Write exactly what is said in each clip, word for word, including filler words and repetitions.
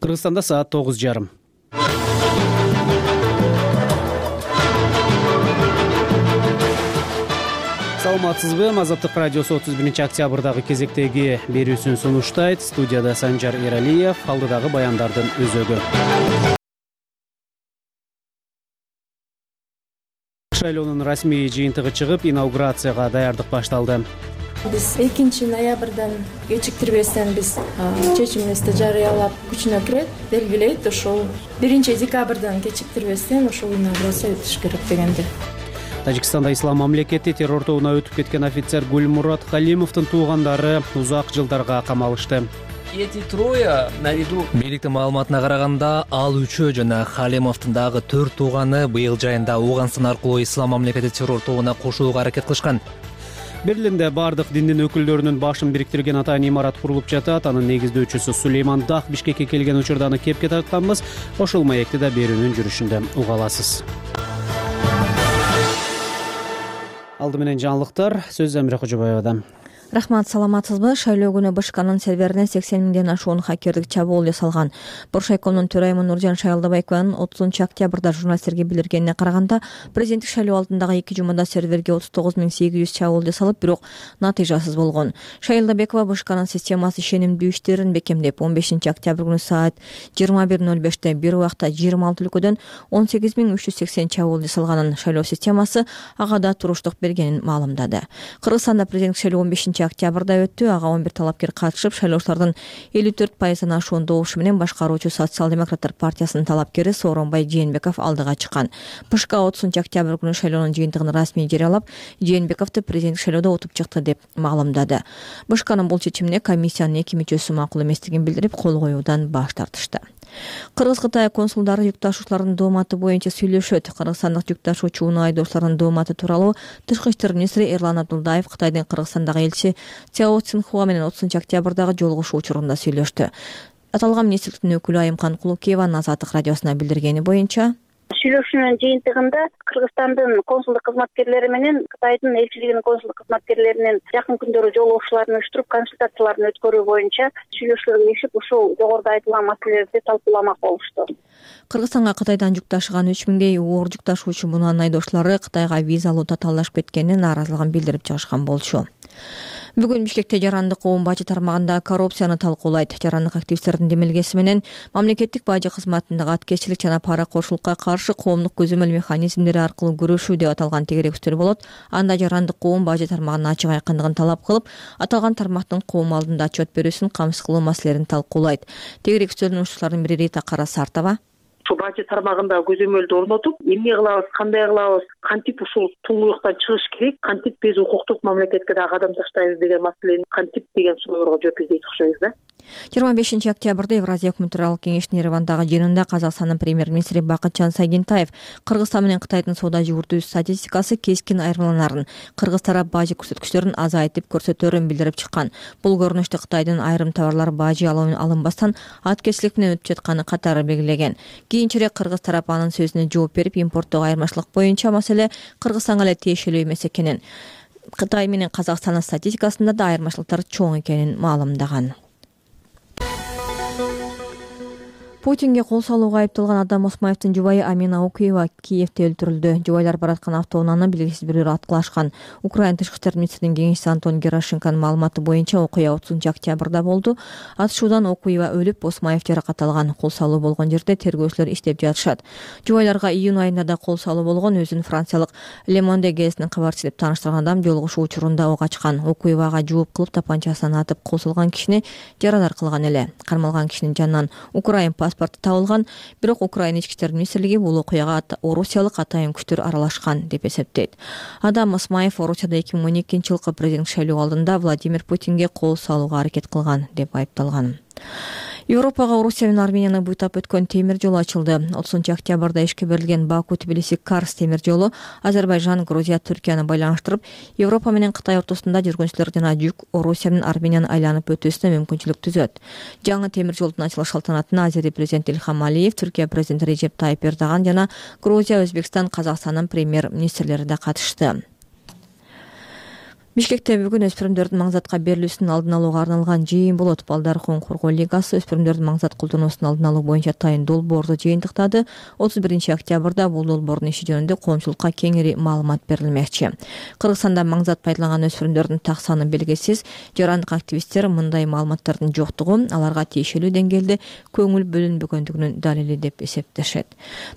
Кыргызстанда саат тогуз жарым. Саламатсызбы? Азаттык радиосу отуз биринчи октябрдагы кезектеги берүүсүн сунуштайт. Студияда Санжар Эралиев, алдыдагы баяндардын өзөгү. Шайлоонун расмий жыйынтыгы чыгып, инаугурацияга даярдык башталды. Биз экинчи ноябрдан кечиктирбестен биз чечимибизди жарыялап күчүнө кирет, белгилейт. Ошол биринчи декабрдан кечиктирбестен ошол инаугурация өтүш керек дегенди. Тажикстанда ислам мамлекети террор тобуна өтүп кеткен офицер Гульмурат Халимовдун туугандары узак жылдарга камалышты. Эти трое наряду бийликтин маалыматына караганда ал үчөө жана Халимовдун дагы төрт тууганы быйыл жайында Ооганстан аркылуу ислам мамлекети террор тобуна кошулууга аракет кылышкан. Берлинде бардык диндин өкүлдөрүнүн башын бириктирген атайын имарат курулуп жатат. Анын негиздөөчүсү Сулейман Дах Бишкекке келген учурда аны кепке тартканбыз. Ошол маекти да берүүнүн жүрүшүндө уга аласыз. Алды менен жаңылыктар, сөз Замира Кожобаевадан. Рахмат, саламатсызбы? Шайлоо күнү БШКнын серверине сексен миңден ашуун хакердик чабуул жасалган. Боршайкомдун төрайымы Нуржан Шайлдабайкованын отузунчу октябрда журналисттерге билдиргенине караганда, президенттик шайлоо алдындагы эки жумада серверге отуз тогуз миң сегиз жүз чабуул жасалып, бирок натыйжасыз болгон. Шайлдабекова БШКнын системасы ишенимдүү иштерин бекемдеп, он бешинчи октябрь күнү саат жыйырма бир ноль беште бир убакта жыйырма алты өлкөдөн он сегиз миң үч жүз сексен чабуул жасалганын, шайлоо системасы ага да туруштук бергенин маалымдады. Кыргызстанда президенттик шайлоо он бешинчи октябрда өттү. Ага он бир талапкер катышып, шайлоочулардын элүү төрт пайыздан ашуун добушу менен башкаруучу социал-демократтар партиясынын талапкери Сооронбай Жээнбеков алдыга чыккан. БШК отузунчу октябрь күнү шайлоонун жыйынтыгын расмий жарыялап, Жээнбековду президенттик шайлоодо утуп чыкты деп маалымдады. БШКнын бул чечимине комиссиянын эки мүчөсү макул эместигин билдирип, кол коюудан баш тартышты. Кыргыз-Кытай консулдары жүк ташуучулардын дооматы боюнча сүйлөшөт. Кыргызстандык жүк ташуучу унаа айдоочулардын дооматы тууралуу Тышкы иштер министри Эрлан Абдулдаев Кытайдын Кыргызстандагы элчиси Цяо Цинхуа менен отузунчу октябрдагы жолугушуу учурунда сүйлөштү. Аталган министрликтин өкүлү Айымкан Кулукееванын Азаттык радиосуна билдиргени боюнча, сүйлөшүүнүн жыйынтыгында Кыргызстандын консулдук кызматкерлери менен Кытайдын элчилигинин консулдук кызматкерлеринин жакын күндөрү жолугушууларын уюштуруп, консультацияларын өткөрүү боюнча сүйлөшүүлөргө киришип, ушул жогоруда айтылган маселелерди талкууламак болушту. Кыргызстанга Кытайдан жүк ташыган үч миңдей оор жүк ташуучу мунаанын айдоочулары Кытайга виза алуу татаалдашып кеткенине нааразылыгын билдирип чыгышкан болчу. Бүгүн Бишкекте жарандык коом бажы тармагында коррупцияны талкуулайт. Жарандык активисттердин демилгеси менен мамлекеттик бажы кызматындагы аткезчилик жана паракорчулукка каршы коомдук көзөмөл механизмдери аркылуу күрөшүү деп аталган тегеректер болот. Анда жарандык коом бажы тармагынын ачык айкындыгын талап кылып, аталган тармактын коом алдында отчет берүүсүн камсыз кылуу маселелерин талкуулайт. Тегеректөрдүн уштууларынын бири Рита Карасартова ушул бажы тармагында көзөмөлдү орнотуп, эмне кылабыз, кандай кылабыз, кантип ушул туңгуюктан чыгыш керек, кантип биз укуктук мамлекетке да кадам таштайбыз деген маселени кантип деген суроолорго жооп издейт окшойбуз да. жыйырма бешинчи октябрда Евразия өкмөтаралык кеңештин Еревандагы жыйынында Казакстандын премьер-министри Бакытжан Сагентаев Кыргызстан менен Кытайдын соода жүгүртүү статистикасы кескин айырмаланарын, кыргыз тарап бажы көрсөткүчтөрүн азайтып көрсөтөрүн билдирип чыккан. Бул көрүнүштө Кытайдын айрым товарлар бажы алынбастан аткезчилик менен өтүп жатканы катары белгилеген. Кийинчерээк кыргыз тарап анын сөзүнө жооп берип, импорттогу айырмачылык боюнча маселе Кыргызстанга эле тиешелүү эмес экенин, Кытай менен Казакстандын статистикасында да айырмачылыктар чоң экенин маалымдаган. Путинге кол салууга айыпталган Адам Осмаевдин жубайы Амина Окуева Киевде өлтүрүлдү. Жубайлар бараткан автоунааны белгисиз бирөөлөр аткылашкан. Украина тышкы иштер министринин кеңешчиси Антон Герашенконун маалыматы боюнча окуя отузунчу октябрда болду. Атышуудан Окуева өлүп, Осмаев жаракат алган. Кол салуу болгон жерде тергөөчүлөр иштеп жатышат. Жубайларга июнь айында да кол салуу болгон. Өзүн франциялык Le Monde газетинин кабарчысы деп тааныштырган адам жолугушуу учурунда ок ачкан. Окуевага жооп кылып тапанчасынан атып кол салган кишини жарадар кылган эле. Кармалган кишинин жанынан Украин паспорту табылган, бирок Украина ички иштер министрлиги бул окуяга орусиялык атайын күчтөр аралашкан деп эсептейт. Адам Осмаев Орусияда эки миң он экинчи жылкы президенттик шайлоо алдында Владимир Путинге кол салууга аракет кылган деп айыпталган. Европага Орусия менен Арменияны буйтап өткөн темир жол ачылды. отузунчу октябрда ишке берилген Баку-Тбилиси-Карс темир жолу Азербайжан, Грузия, Түркияны байланыштырып, Европа менен Кытай ортосунда жүргүнчүлөр жана жүк Орусия менен Арменияны айланып өтүүсүнө мүмкүнчүлүк түзөт. Жаңы темир жолдун ачылыш салтанатына Азери президенти Ильхам Алиев, Түркия президенти Режеп Тайип Эрдоган жана Грузия, Өзбекстан, Казакстандын премьер-министрлери да катышты. Бишкекте бүгүн өспүрүмдөрдүн маңзатка берилүүсүнүн алдын алууга арналган жыйын болот. Балдар укугун коргоо лигасы өспүрүмдөрдүн маңзат колдонуусун алдын алуу боюнча тайын долбоорду жыйынтыктады. отуз биринчи октябрда бул долбоордун иши жөнүндө коомчулукка кеңири маалымат берилмекчи. Кыргызстанда маңзат пайдаланган өспүрүмдөрдүн так саны белгисиз. Жарандык активисттер мындай маалыматтардын жоктугу аларга тиешелүү деңгээлде көңүл бөлүнбөгөндүгүнүн далили деп эсептешет.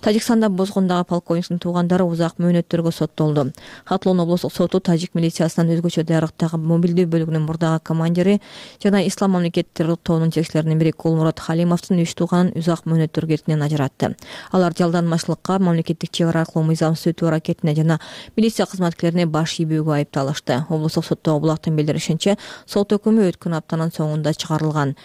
Тажикстанда Бозгондагы полковниктин туугандары узак мөөнөттөргө соттолду. Хатлоон облустук соту тажик милициясынын өзгөчө даярдыктагы мобилдүү бөлүгүнүн мурдагы командири жана Ислам мамлекет террор тобунун жетекчилеринин бири Кулмурат Халимовдун үч тууганын узак мөөнөттөргө эркинен ажыратты. Алар жалданмачылыкка, мамлекеттик чек ара аркылуу мыйзамсыз өтүү аракетине жана милиция кызматкерлерине баш ийбөөгө айыпталышты. Облустук соттогу булактын билдиришинче, сот өкүмү өткөн аптанын соңунда чыгарылган.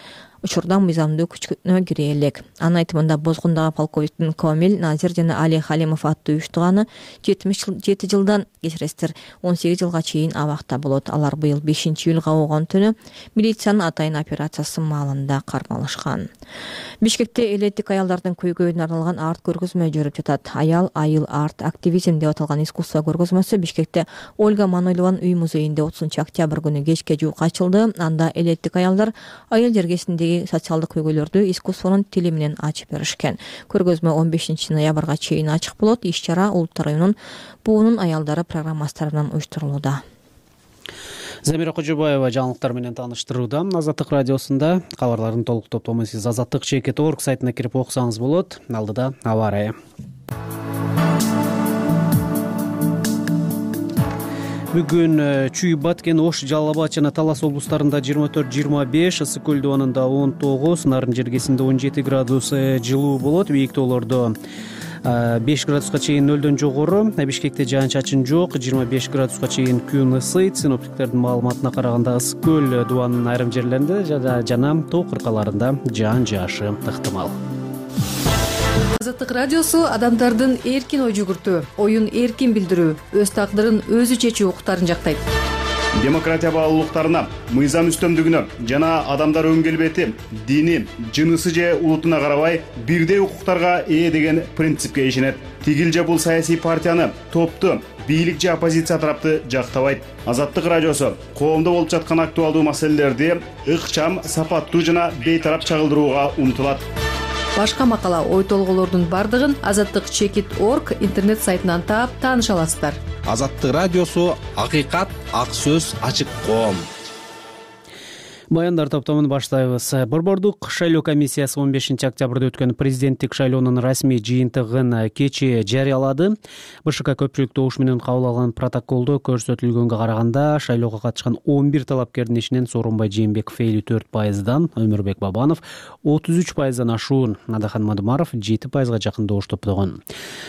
Учурда мыйзамдуу күчкө кире элек. Анын айтымында Бозгондагы полковниктин Комил, Назир жана Али Халимов аттуу үч тууганы жетимиш жети жылдан кечиресиздер он сегиз жылга чейин абакта болот. Алар быйыл бешинчи июлга болгон түнү милициянын атайын операциясы маалында кармалышкан. Бишкекте элеттик аялдардын көйгөйүнө арналган арт көргөзмө жүрүп жатат. Аял айыл арт активизм деп аталган искусство көргөзмөсү Бишкекте Ольга Манойлованын үй музейинде отузунчу октябрь күнү кечке жуук ачылды. Анда элеттик аялдар айыл жергесиндеги социалдык көйгөйлөрдү искусствонун тили менен ачып беришкен. Көргөзмө он бешинчи ноябрга чейин ачык болот. Иш-чара Улуттар районунун буунун аялдары программасы тарабынан уюштурулууда. Замира Кожобаева жаңылыктар менен тааныштырууда. Азаттык радиосунда кабарлардын толук топтомун сиз азаттык чекит точка орг сайтына кирип окусаңыз болот. Алдыда аба ырайы. Бүгүн Чүй, Баткен, Ош, Жалал Абад жана Талас облустарында жыйырма төрт жыйырма беш, Ысык көл дубанында он тогуз, Нарын жергесинде он жети градус жылуу болот. Бийиктөөлөрдө беш градуска чейин нөлдөн жогору. Бишкекте жаан-чачын жок, жыйырма беш градуска чейин күн ысыйт. Синоптиктердин маалыматына караганда Ысык көл дубанынын айрым жерлеринде жана тоо кыркаларында жаан жаашы ыктымал. Азаттык радиосу адамдардын эркин ой жүгүртүү, оюн эркин билдирүү, өз тагдырын өзү чечүү укуктарын жактайт. Демократия баалуулуктарына, мыйзам үстөмдүгүнө жана адамдар өң келбети, дини, жынысы же улутуна карабай бирдей укуктарга ээ деген принципке ишенет. Тигил же бул саясий партияны, топту, бийлик же оппозиция тарапты жактабайт. Азаттык радиосу коомдо болуп жаткан актуалдуу маселелерди ыкчам, сапаттуу жана бейтарап чагылдырууга умтулат. Башка макала, ой толголордун бардыгын азаттык чекит точка орг интернет сайтынан таап тааныша аласыздар. Азаттык радиосу акыйкат, ак сөз, ачык коом. Баяндар топтомун баштайбыз. Борбордук шайлоо комиссиясы он бешинчи октябрда өткөн президенттик шайлоонун расмий жыйынтыгын кечээ жарыялады. БШК көпчүлүк добуш менен кабыл алган протоколдо көрсөтүлгөнгө караганда шайлоого катышкан он бир талапкердин ичинен Сооронбай Жээнбеков элүү төрт пайыздан, Өмүрбек Бабанов отуз үч пайыздан ашуун, Надахан Мадумаров жети пайызга жакын добуш топтогон.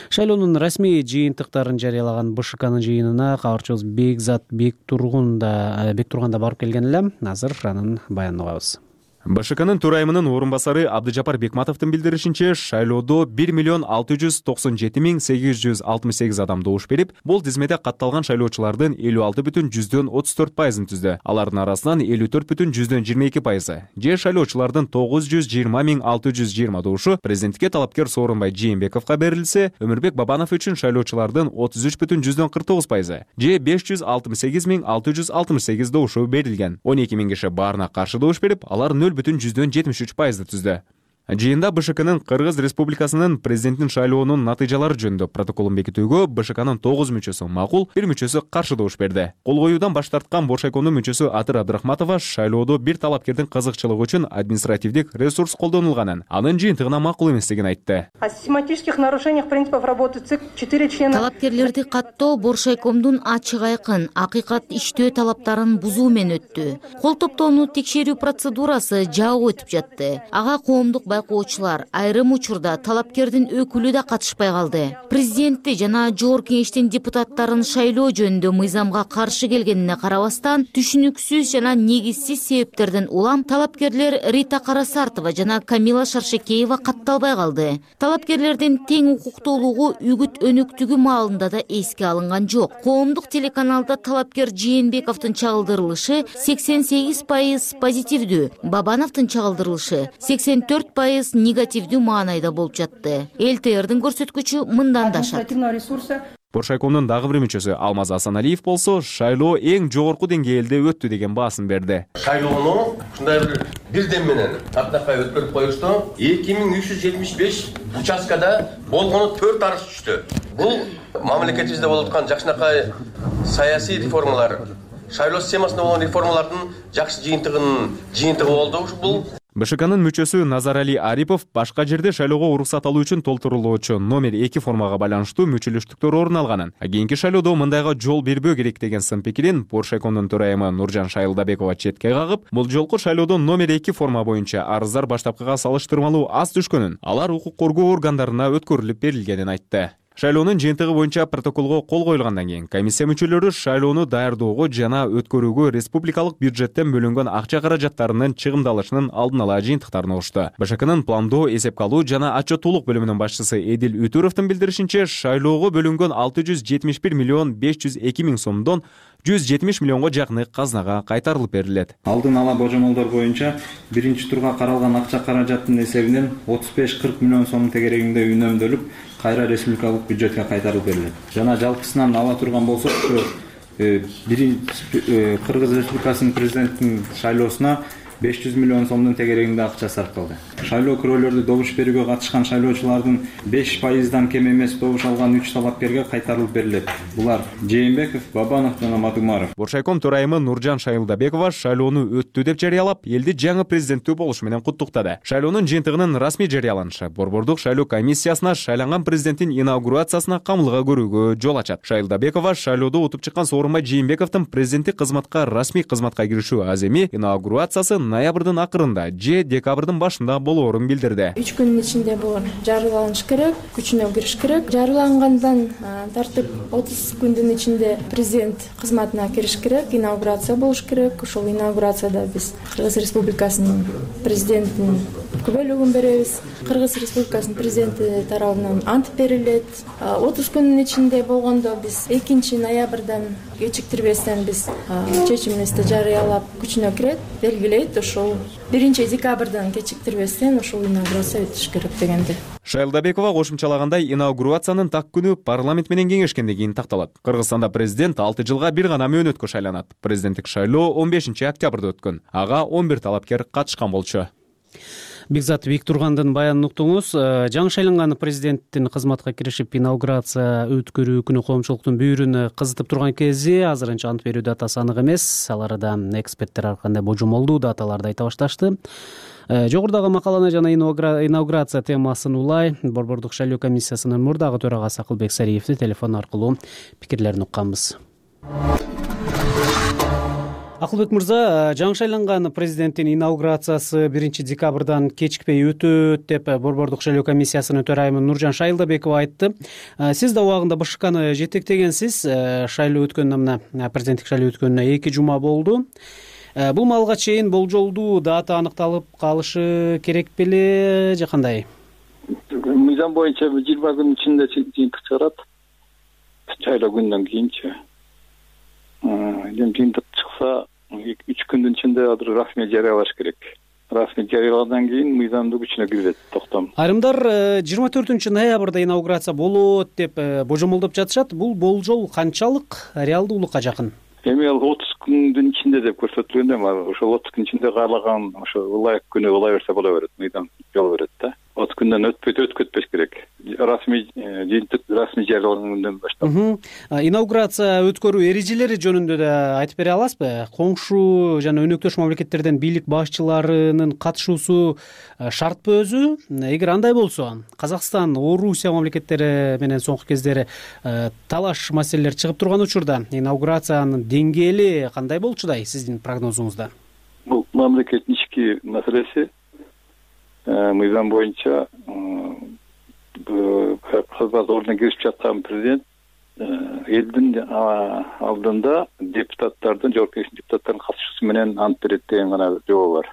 Шайлоонун расмий жыйынтыктарын жарыялаган БШКнын жыйынына кабарчыбыз Бекзат Бектурган да Бектурган да барып келген эле. Азыр анын баянын угабыз. БШКнын төрайымынын орун басары Абдыжапар Бекматовдун билдиришинче, шайлоодо бир миллион алты жүз токсон жети миң сегиз жүз алтымыш сегиз адам добуш берип, бул тизмеде катталган шайлоочулардын элүү алты бүтүн жүздөн отуз төрт пайызын түздү. Алардын арасынан элүү төрт бүтүн жүздөн жыйырма эки пайызы же шайлоочулардын тогуз жүз жыйырма миң алты жүз жыйырма добушу президентке талапкер Сооронбай Жээнбековго берилсе, Өмүрбек Бабанов үчүн шайлоочулардын отуз үч бүтүн жүздөн кырк тогуз пайызы же беш жүз алтымыш сегиз миң алты жүз алтымыш сегиз добушу берилген. он эки миң киши баарына каршы добуш берип, алар нөл бүтүн жүздөн жетимиш үч пайызды түздү. Жыйында БШКнын Кыргыз Республикасынын президенттин шайлоонун натыйжалары жөнүндө протоколун бекитүүгө БШКнын тогуз мүчөсү макул, бир мүчөсү каршы добуш берди. Кол коюудан баш тарткан Боршайкондун мүчөсү Атыр Абдрахматова шайлоодо бир талапкердин кызыкчылыгы үчүн административдик ресурс колдонулганын, анын жыйынтыгына макул эместигин айтты. О систематических нарушениях принципов работы ЦИК четыре члена. Талапкерлерди каттоо Боршайкомдун ачык айкын, акыйкат иштөө талаптарын бузуу менен өттү. Кол топтоону текшерүү процедурасы жабык өтүп жатты. Ага коомдук байкоочулар, айрым учурда талапкердин өкүлү да катышпай калды. Президентти жана жогорку кеңештин депутаттарын шайлоо жөнүндө мыйзамга каршы келгенине карабастан, түшүнүксүз жана негизсиз себептерден улам талапкерлер Рита Карасартова жана Камила Шаршекеева катталбай калды. Талапкерлердин тең укуктуулугу үгүт өнүктүгү маалында да эске алынган жок. Коомдук телеканалда талапкер Жээнбековдун чагылдырылышы сексен сегиз пайыз позитивдүү, Бабановдун чагылдырылышы сексен төрт пайыз негативдүү маанайда болуп жатты. эл тэ эрдин көрсөткүчү мындан да ашат. Боршайкомдун дагы бир мүчөсү Алмаз Асаналиев болсо шайлоо эң жогорку деңгээлде өттү деген баасын берди. Шайлоону ушундай бир бирден менен таптакай өткөрүп коюшту. эки миң үч жүз жетимиш беш участкада болгону төрт арыз түштү. Бул мамлекетибизде болуп аткан жакшынакай саясий реформалар, шайлоо системасында болгон реформалардын жакшы жыйынтыгынын жыйынтыгы болду бул. БШКнын мүчөсү Назарали Арипов башка жерде шайлоого уруксат алуу үчүн толтурулуучу номер эки формага байланыштуу мүчөлөштүктөр орун алганын, кийинки шайлоодо мындайга жол бербөө керек деген сын пикирин Боршайкомдун төрайымы Нуржан Шайылдабекова четке кагып, бул жолку шайлоодо номер эки форма боюнча арыздар баштапкыга салыштырмалуу аз түшкөнүн, алар укук коргоо органдарына өткөрүлүп берилгенин айтты. Шайлоонун жыйынтыгы боюнча протоколго кол коюлгандан кийин комиссия мүчөлөрү шайлоону даярдоого жана өткөрүүгө республикалык бюджеттен бөлүнгөн акча каражаттарынын чыгымдалышынын алдын ала жыйынтыктарын угушту. БШКнын пландоо, эсепке алуу жана отчеттуулук бөлүмүнүн башчысы Эдил Үтүровдун билдиришинче, шайлоого бөлүнгөн алты жүз жетимиш бир миллион беш жүз эки миң сомдон жүз жетимиш миллионго жакыны казнага кайтарылып берилет. Алдын ала божомолдор боюнча биринчи турга каралган акча каражаттын эсебинен отуз беш кырк миллион сом тегерегинде үнөмдөлүп, кайра республикалык бюджетке кайтарылып берилет. Жана жалпысынан ала турган болсок, биринчи Кыргыз Республикасынын президентинин шайлоосуна беш жүз миллион сомдун тегерегинде акча сарпталды. Шайлоо күрөөлөрдү добуш берүүгө катышкан шайлоочулардын беш пайыздан кем эмес добуш алган үч талапкерге кайтарылып берилет. Булар Жээнбеков, Бабанов жана Мадумаров. Боршайком төрайымы Нуржан Шайылдабекова шайлоону өттү деп жарыялап, элди жаңы президенттүү болушу менен куттуктады. Шайлоонун жыйынтыгынын расмий жарыяланышы Борбордук шайлоо комиссиясына шайланган президенттин инаугурациясына камылга көрүүгө жол ачат. Шайылдабекова шайлоодо утуп чыккан Сооронбай Жээнбековдун президенттик кызматка расмий кызматка киришүү аземи инаугурациясы ноябрдын акырында же декабрдын башында болоорун билдирди. үч күнүн ичинде бул жарыяланыш керек, күчүнө кириш керек. Жарыялангандан тартып отуз күндүн ичинде президент кызматына кириш керек, инаугурация болуш керек. Ошол инаугурацияда биз Кыргыз Республикасынын президентинин күбөлүгүн беребиз. Кыргыз Республикасынын президенти тарабынан ант берилет. отуз күнүн ичинде болгондо биз экинчи ноябрдан кечиктирбестен биз чечимибизди жарыялап күчүнө кирет, белгилейт. Ошол биринчи декабрдан кечиктирбестен ошол инаугурация өтүш керек дегенди. Шайылдабекова кошумчалагандай, инаугурациянын так күнү парламент менен кеңешкенден кийин такталат. Кыргызстанда президент алты жылга бир гана мөөнөткө шайланат. Президенттик шайлоо он бешинчи октябрда өткөн. Ага он бир талапкер катышкан болчу. Бекзат Виктургандын баянын уктуңуз. Жаңы шайланган президенттин кызматка киришип инаугурация өткөрүү күнү коомчулуктун бүйүрүн кызытып турган кези азырынча ант берүү датасы анык эмес. Аларда эксперттер ар кандай божомолдуу даталарды айта башташты. Жогорудагы макаланы жана инаугурация темасын улай Борбордук шайлоо комиссиясынын мурдагы төрагасы Акылбек Сариевди телефон аркылуу пикирлерин укканбыз. Акылбек мырза, жаңы шайланган президенттин инаугурациясы биринчи декабрдан кечикпей өтөт деп Борбордук шайлоо комиссиясынын төрайымы Нуржан Шайылдабекова айтты. Сиз да убагында БШКны жетектегенсиз. Шайлоо өткөнүнө мына президенттик шайлоо өткөнүнө эки жума болду. Бул малга чейин болжолдуу дата аныкталып калышы керек беле же кандай? Мыйзам боюнча жыйырма күн ичинде жыйынтык чыгарат. Шайлоо күнүнөн кийинчи. Жыйынтык чыкса үч күндүн ичинде азыр расмий жарыялаш керек. Расмий жарыялагандан кийин мыйзамдуу күчүнө кирет токтом. Айрымдар жыйырма төртүнчү ноябрда инаугурация болот деп божомолдоп жатышат. Бул болжол канчалык реалдуулукка жакын? Эми ал отуз күндүн ичинде деп көрсөтүлгөн эми ошол отуз күн ичинде каалаган ошо ылайык күнү ылай берсе боло берет, мыйзам жол берет да. отуз күндөн өтпөйт өткөтпөш керек. Расмий жыйынтык расмий жарыялагандан баштап. Инаугурация өткөрүү эрежелери жөнүндө да айтып бере аласызбы? Коңшу жана өнөктөш мамлекеттерден бийлик башчыларынын катышуусу шартпы өзү? Эгер андай болсо, Казакстан, Орусия мамлекеттери менен соңку кездери талаш маселелер чыгып турган учурда инаугурациянын деңгээли кандай болчудай сиздин прогнозуңузда? Бул мамлекеттин ички маселеси. Мыйзам боюнча кызмат ордуна кирип жаткан президент элдин алдында депутаттардын, жогорку кеңештин депутаттарынын катышуусу менен ант берет деген гана жобо бар.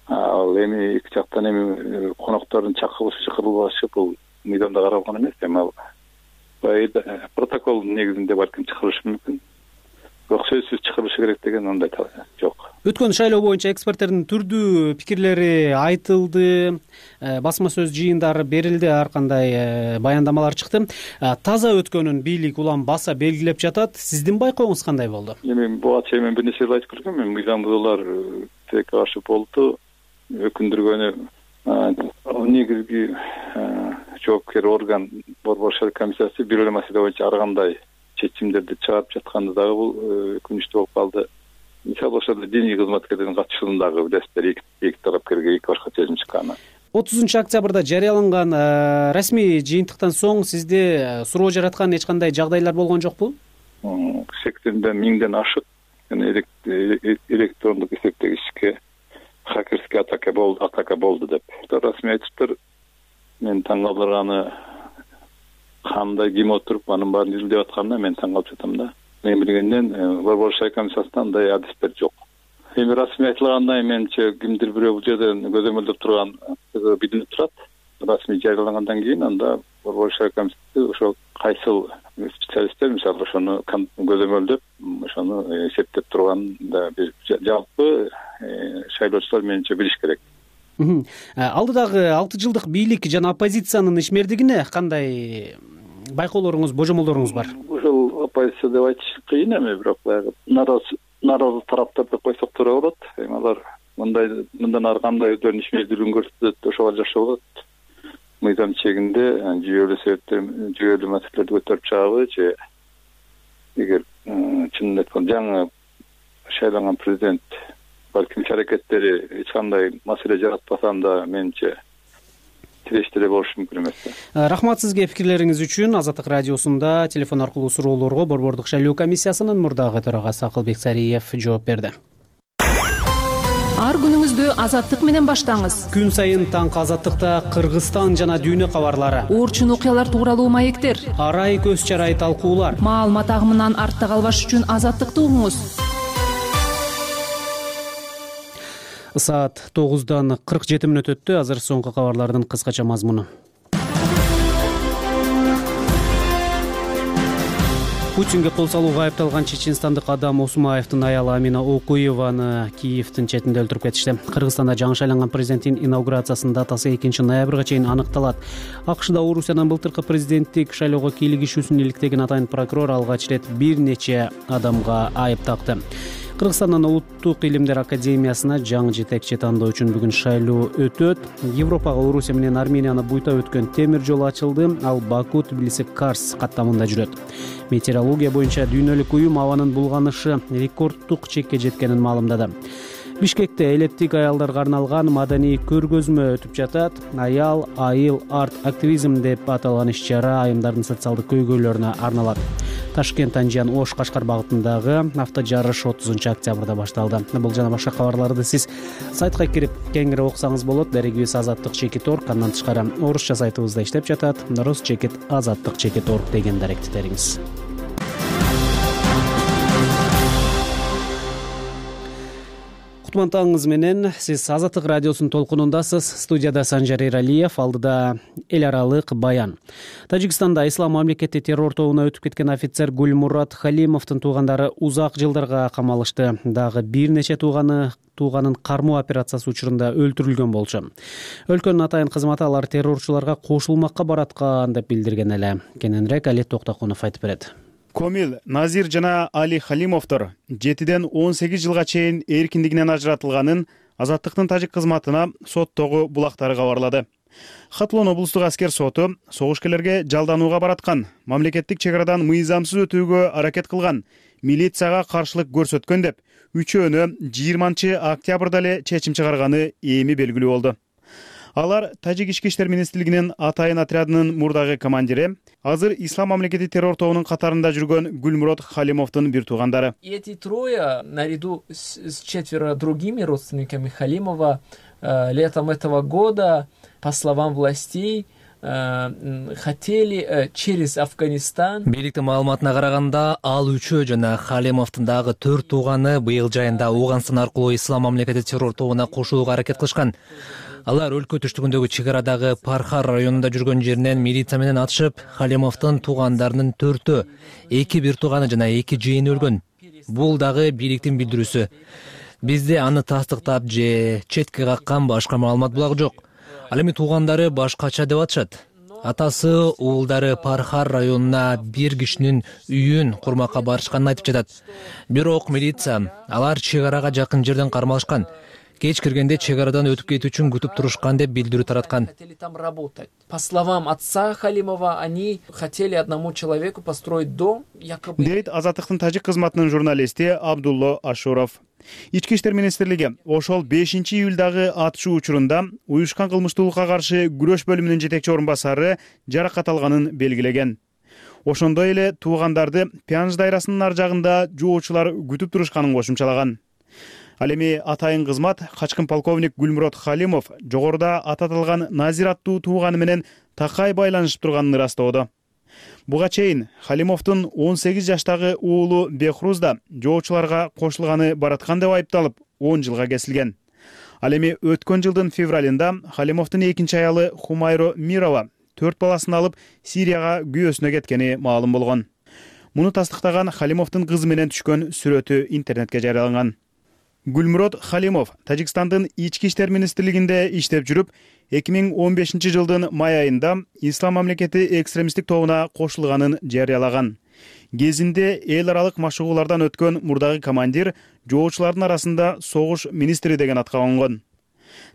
Ал эми эки жактан эми коноктордун чакырылышы чакырылбашы бул мыйзамда каралган эмес. Эми ал протокол негизинде балким чыгарылышы мүмкүн. бирок сөзсүз чыгарышы керек деген андай жок. Өткөн шайлоо боюнча эксперттердин түрдүү пикирлери айтылды, басма сөз жыйындары берилди, ар кандай баяндамалар чыкты. Таза өткөнүн бийлик улам баса белгилеп жатат. Сиздин байкооңуз кандай болду? Эми буга чейин мен бир нерсе айтып көргөмүн. Мыйзам бузуулар тилекке каршы болду. Өкүндүргөнү негизги жоопкер орган Борбор шайлоо комиссиясы бир эле маселе боюнча ар кандай чечимдерди чыгарып жатканды дагы бул өкүнүчтүү болуп калды. Мисалы ошол диний кызматкерлердин катышуусундагы билесиздер, эки тарапкерге эки башка чечим чыкканы. отузунчу октябрда жарыяланган расмий жыйынтыктан соң сизде суроо жараткан эч кандай жагдайлар болгон жокпу? сексенден миңден ашык электрондук эсептегичке хакерский атака болду, атака болду деп. Расмий айтыптыр. Мен таң калтырганы кандай ким отуруп анын баарын изилдеп атканына мен таң калып жатам да. Мен билгенден Борбор шайлоо комиссиясында андай адистер жок. Эми расмий айтылгандай менче кимдир бирөө бул жерден көзөмөлдөп турган билинип турат. Расмий жарыялангандан кийин анда Борбор шайлоо комиссиясы ошол кайсыл специалисттер мисалы ошону көзөмөлдөп, ошону эсептеп турган да бир жалпы шайлоочулар менче билиш керек. Алдыдагы алты жылдык бийлик жана оппозициянын ишмердигине кандай байкоолоруңуз, божомолдоруңуз бар? Ошол оппозиция деп айтыш кыйын эми, бирок баягы наразы наразы тараптар деп койсок туура болот. Эми алар мындай мындан ары кандай өздөрүнүн ишмердүүлүгүн көрсөтөт, ошого жашоо болот. Мыйзам чегинде жүйөлүү себептер, жүйөлүү маселелерди көтөрүп чыгабы же эгер чынын айтканда жаңы шайланган президент балким иш-аракеттери эч кандай маселе жаратпаса анда менче тирештире болушу мүмкүн эмес. Рахмат сизге пикирлериңиз үчүн. Азаттык радиосунда телефон аркылуу суроолорго Борбордук шайлоо комиссиясынын мурдагы төрагасы Акылбек Сариев жооп берди. Ар күнүңүздү Азаттык менен баштаңыз. Күн сайын таңкы Азаттыкта Кыргызстан жана дүйнө кабарлары, орчун окуялар тууралуу маектер, арай көз чарай талкуулар. Маалымат агымынан артта калбаш үчүн Азаттыкты угуңуз. Саат тогуздан кырк жети мүнөт өттү. Азыр соңку кабарлардын кыскача мазмуну. Путинге кол салууга айыпталган чеченстандык адам Осмаевдин аялы Амина Окуеваны Киевдин четинде өлтүрүп кетишти. Кыргызстанда жаңы шайланган президенттин инаугурациясынын датасы экинчи ноябрга чейин аныкталат. АКШда Орусиянын былтыркы президенттик шайлоого кийлигишүүсүн иликтеген атайын прокурор алгач ирет бир нече адамга айып такты. Кыргызстандын Улуттук илимдер академиясына жаңы жетекчи тандоо үчүн бүгүн шайлоо өтөт. Европага Орусия менен Арменияны буйтап өткөн темир жол ачылды. Ал Баку Тбилиси Карс каттамында жүрөт. Метеорология боюнча дүйнөлүк уюм абанын булганышы рекордтук чекке жеткенин маалымдады. Бишкекте элеттик аялдарга арналган маданий көргөзмө өтүп жатат. Аял, айыл, арт активизм деп аталган иш-чара айымдардын социалдык көйгөйлөрүнө арналат. Ташкент Анжан Ош Кашкар багытындагы автожарыш отузунчу октябрда башталды. Бул жана башка кабарларды сиз сайтка кирип кеңири окусаңыз болот. Дарегибиз азаттык чекит орг, андан тышкары орусча сайтыбызда иштеп жатат. Рус чекит азаттык чекит орг деген даректтериңиз. Кутман таңыңыз менен. Сиз Азаттык радиосунун толкунундасыз. Студияда Санжар Эралиев, алдыда эл аралык баян. Тажикстанда Ислам мамлекети террор тобуна өтүп кеткен офицер Гульмурат Халимовдун туугандары узак жылдарга камалышты. Дагы бир нече тууганы тууганын кармоо операциясы учурунда өлтүрүлгөн болчу. Өлкөнүн атайын кызматы алар террорчуларга кошулмакка бараткан деп билдирген эле. Кененирээк Али Токтокунов айтып берет. Комил, Назир жана Али Халимовдор жетиден он сегиз жылга чейин эркиндигинен ажыратылганын Азаттыктын тажик кызматына соттогу булактары кабарлады. Хатлон облустук аскер соту согушкерлерге жалданууга бараткан, мамлекеттик чек арадан мыйзамсыз өтүүгө аракет кылган, милицияга каршылык көрсөткөн деп үчөөнү жыйырманчы октябрда эле чечим чыгарганы эми белгилүү болду. Алар Тажик ички иштер министрлигинин атайын отрядынын мурдагы командири, азыр Ислам мамлекети террор тобунун катарында жүргөн Гульмурат Халимовдун бир туугандары. Эти трое, наряду с четверо другими родственниками Халимова, летом этого года, по словам властей, хотели через Афганистан. Бийликтин маалыматына караганда, ал үчөө жана Халимовдун дагы төрт тууганы быйыл жайында Ауган аркылуу Ислам мамлекети террор тобуна кошулууга аракет кылышкан. Алар өлкө түштүгүндөгү чек арадагы Пархар районунда жүргөн жеринен милиция менен атышып, Халимовдун туугандарынын төртөө, эки бир тууганы жана эки жыйыны өлгөн. бул дагы бийликтин билдирүүсү. Бизде аны тастыктап же четке каккан башка маалымат булагы жок. Ал эми туугандары башкача деп атышат. Атасы уулдары Пархар районуна бир кишинин үйүн курмакка барышканын айтып жатат. Бирок милиция алар чек арага жакын жерден кармалышкан. Кеч киргенде чек арадан өтүп кетүү үчүн күтүп турушкан деп билдирүү тараткан. Хотели там работать. По словам отца Халимова, они хотели одному человеку построить дом, якобы. Дейт Азаттыктын тажик кызматынын журналисти Абдулло Ашуров. Ички иштер министрлиги ошол бешинчи июлдагы атышуу учурунда уюшкан кылмыштуулукка каршы күрөш бөлүмүнүн жетекчи орун басары жаракат алганын белгилеген. Ошондой эле туугандарды Пянж дайрасынын ар жагында жоочулар күтүп турушканын кошумчалаган. Ал эми атайын кызмат качкын полковник Гүлмурод Халимов жогоруда ататылган Назир аттуу тууганы менен такай байланышып турганын ырастоодо. Буга чейин Халимовдун он сегиз жаштагы уулу Бехруз да жоочуларга кошулганы бараткан деп айыпталып он жылга кесилген. Ал эми өткөн жылдын февралында Халимовдун экинчи аялы Хумайро Мирова төрт баласын алып Сирияга күйөөсүнө кеткени маалым болгон. Муну тастыктаган Халимовдун кызы менен түшкөн сүрөтү интернетке жарыяланган. Гүлмурод Халимов Тажикстандын ички иштер министрлигинде иштеп жүрүп, эки миң он бешинчи жылдын май айында Ислам мамлекети экстремисттик тобуна кошулганын жарыялаган. Кезинде эл аралык машыгуулардан өткөн мурдагы командир жоочулардын арасында согуш министри деген атка конгон.